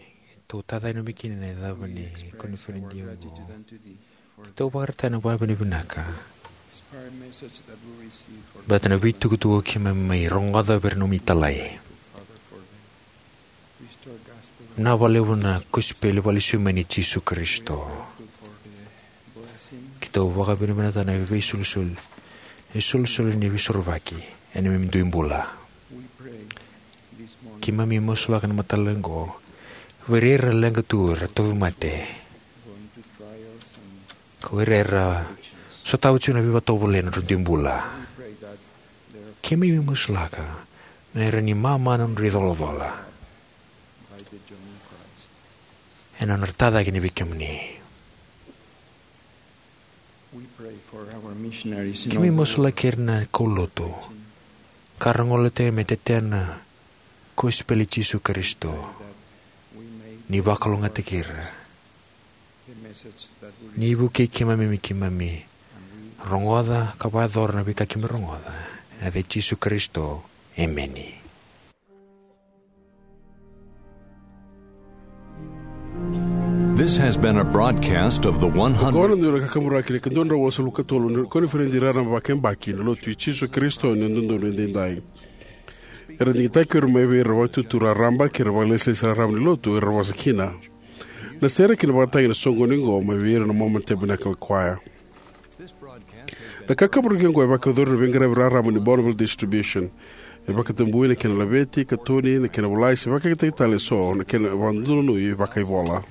tou taca e nomu kina na icava ni koniferedi oqo. Tou vakaraitaka na vakavinavinaka inspire message that we receive for bata na veitukutuku keimami mai rogoca vei ira na nomu italai. Father, for the restore gospel na valevu na kosipeli valesu mai ni Jisu Karisito. Grateful for the blessing. Keitou vakavinavinaka na veisolisoli, veisolisoli ni veisorovaki ena neimami dui bula. We pray this morning. Keimami masulaka na mataka oqo vei ira era leqa tu, era tauvimate, going to trials and ka vei ira era sotava tiko na veivakatovolei ena nodra dui bula. We pray that their Keimami masulaka me ra ni mama na nodra icolacola by the journey of Christ. Ena nodra tacake ni vei kemuni. We pray for our missionaries in Keimami all the masulaki ira na kaulotu ka ra golatia me tetea na kosipeli i Jisu Karisito, that we may ni vakalougatataki ira, the message that we ni vukei keimami me keimami rogoca ka vakayacora na veika keimami rogoca. Ena yaca i Jisu Karisito, emeni. This has been a broadcast of the Oqo na one hundred dua na kakaburaki ni ka dua na drau walusagavulu ka tolu ni koniferedi raraba vakayabaki ni Lotu i Jisu Karisito ni Yalododonu Edaidai. Era digitaki ira mai vei ira na Vakaitutu Raraba kei ira na vakailesilesi raraba ni Lotu era vosa kina. Na sere kei na vakatagi ena soqoni oqo mai vei ira na Mormon Tabernacle Choir. Na kakaburaki oqo e vakayacori ena veiqaravi raraba ni Bonneville Distribution. E vakatabui na kena laveti, katoni, na kena volai se vakayagataki tale eso na kena vakadonui vakaivola.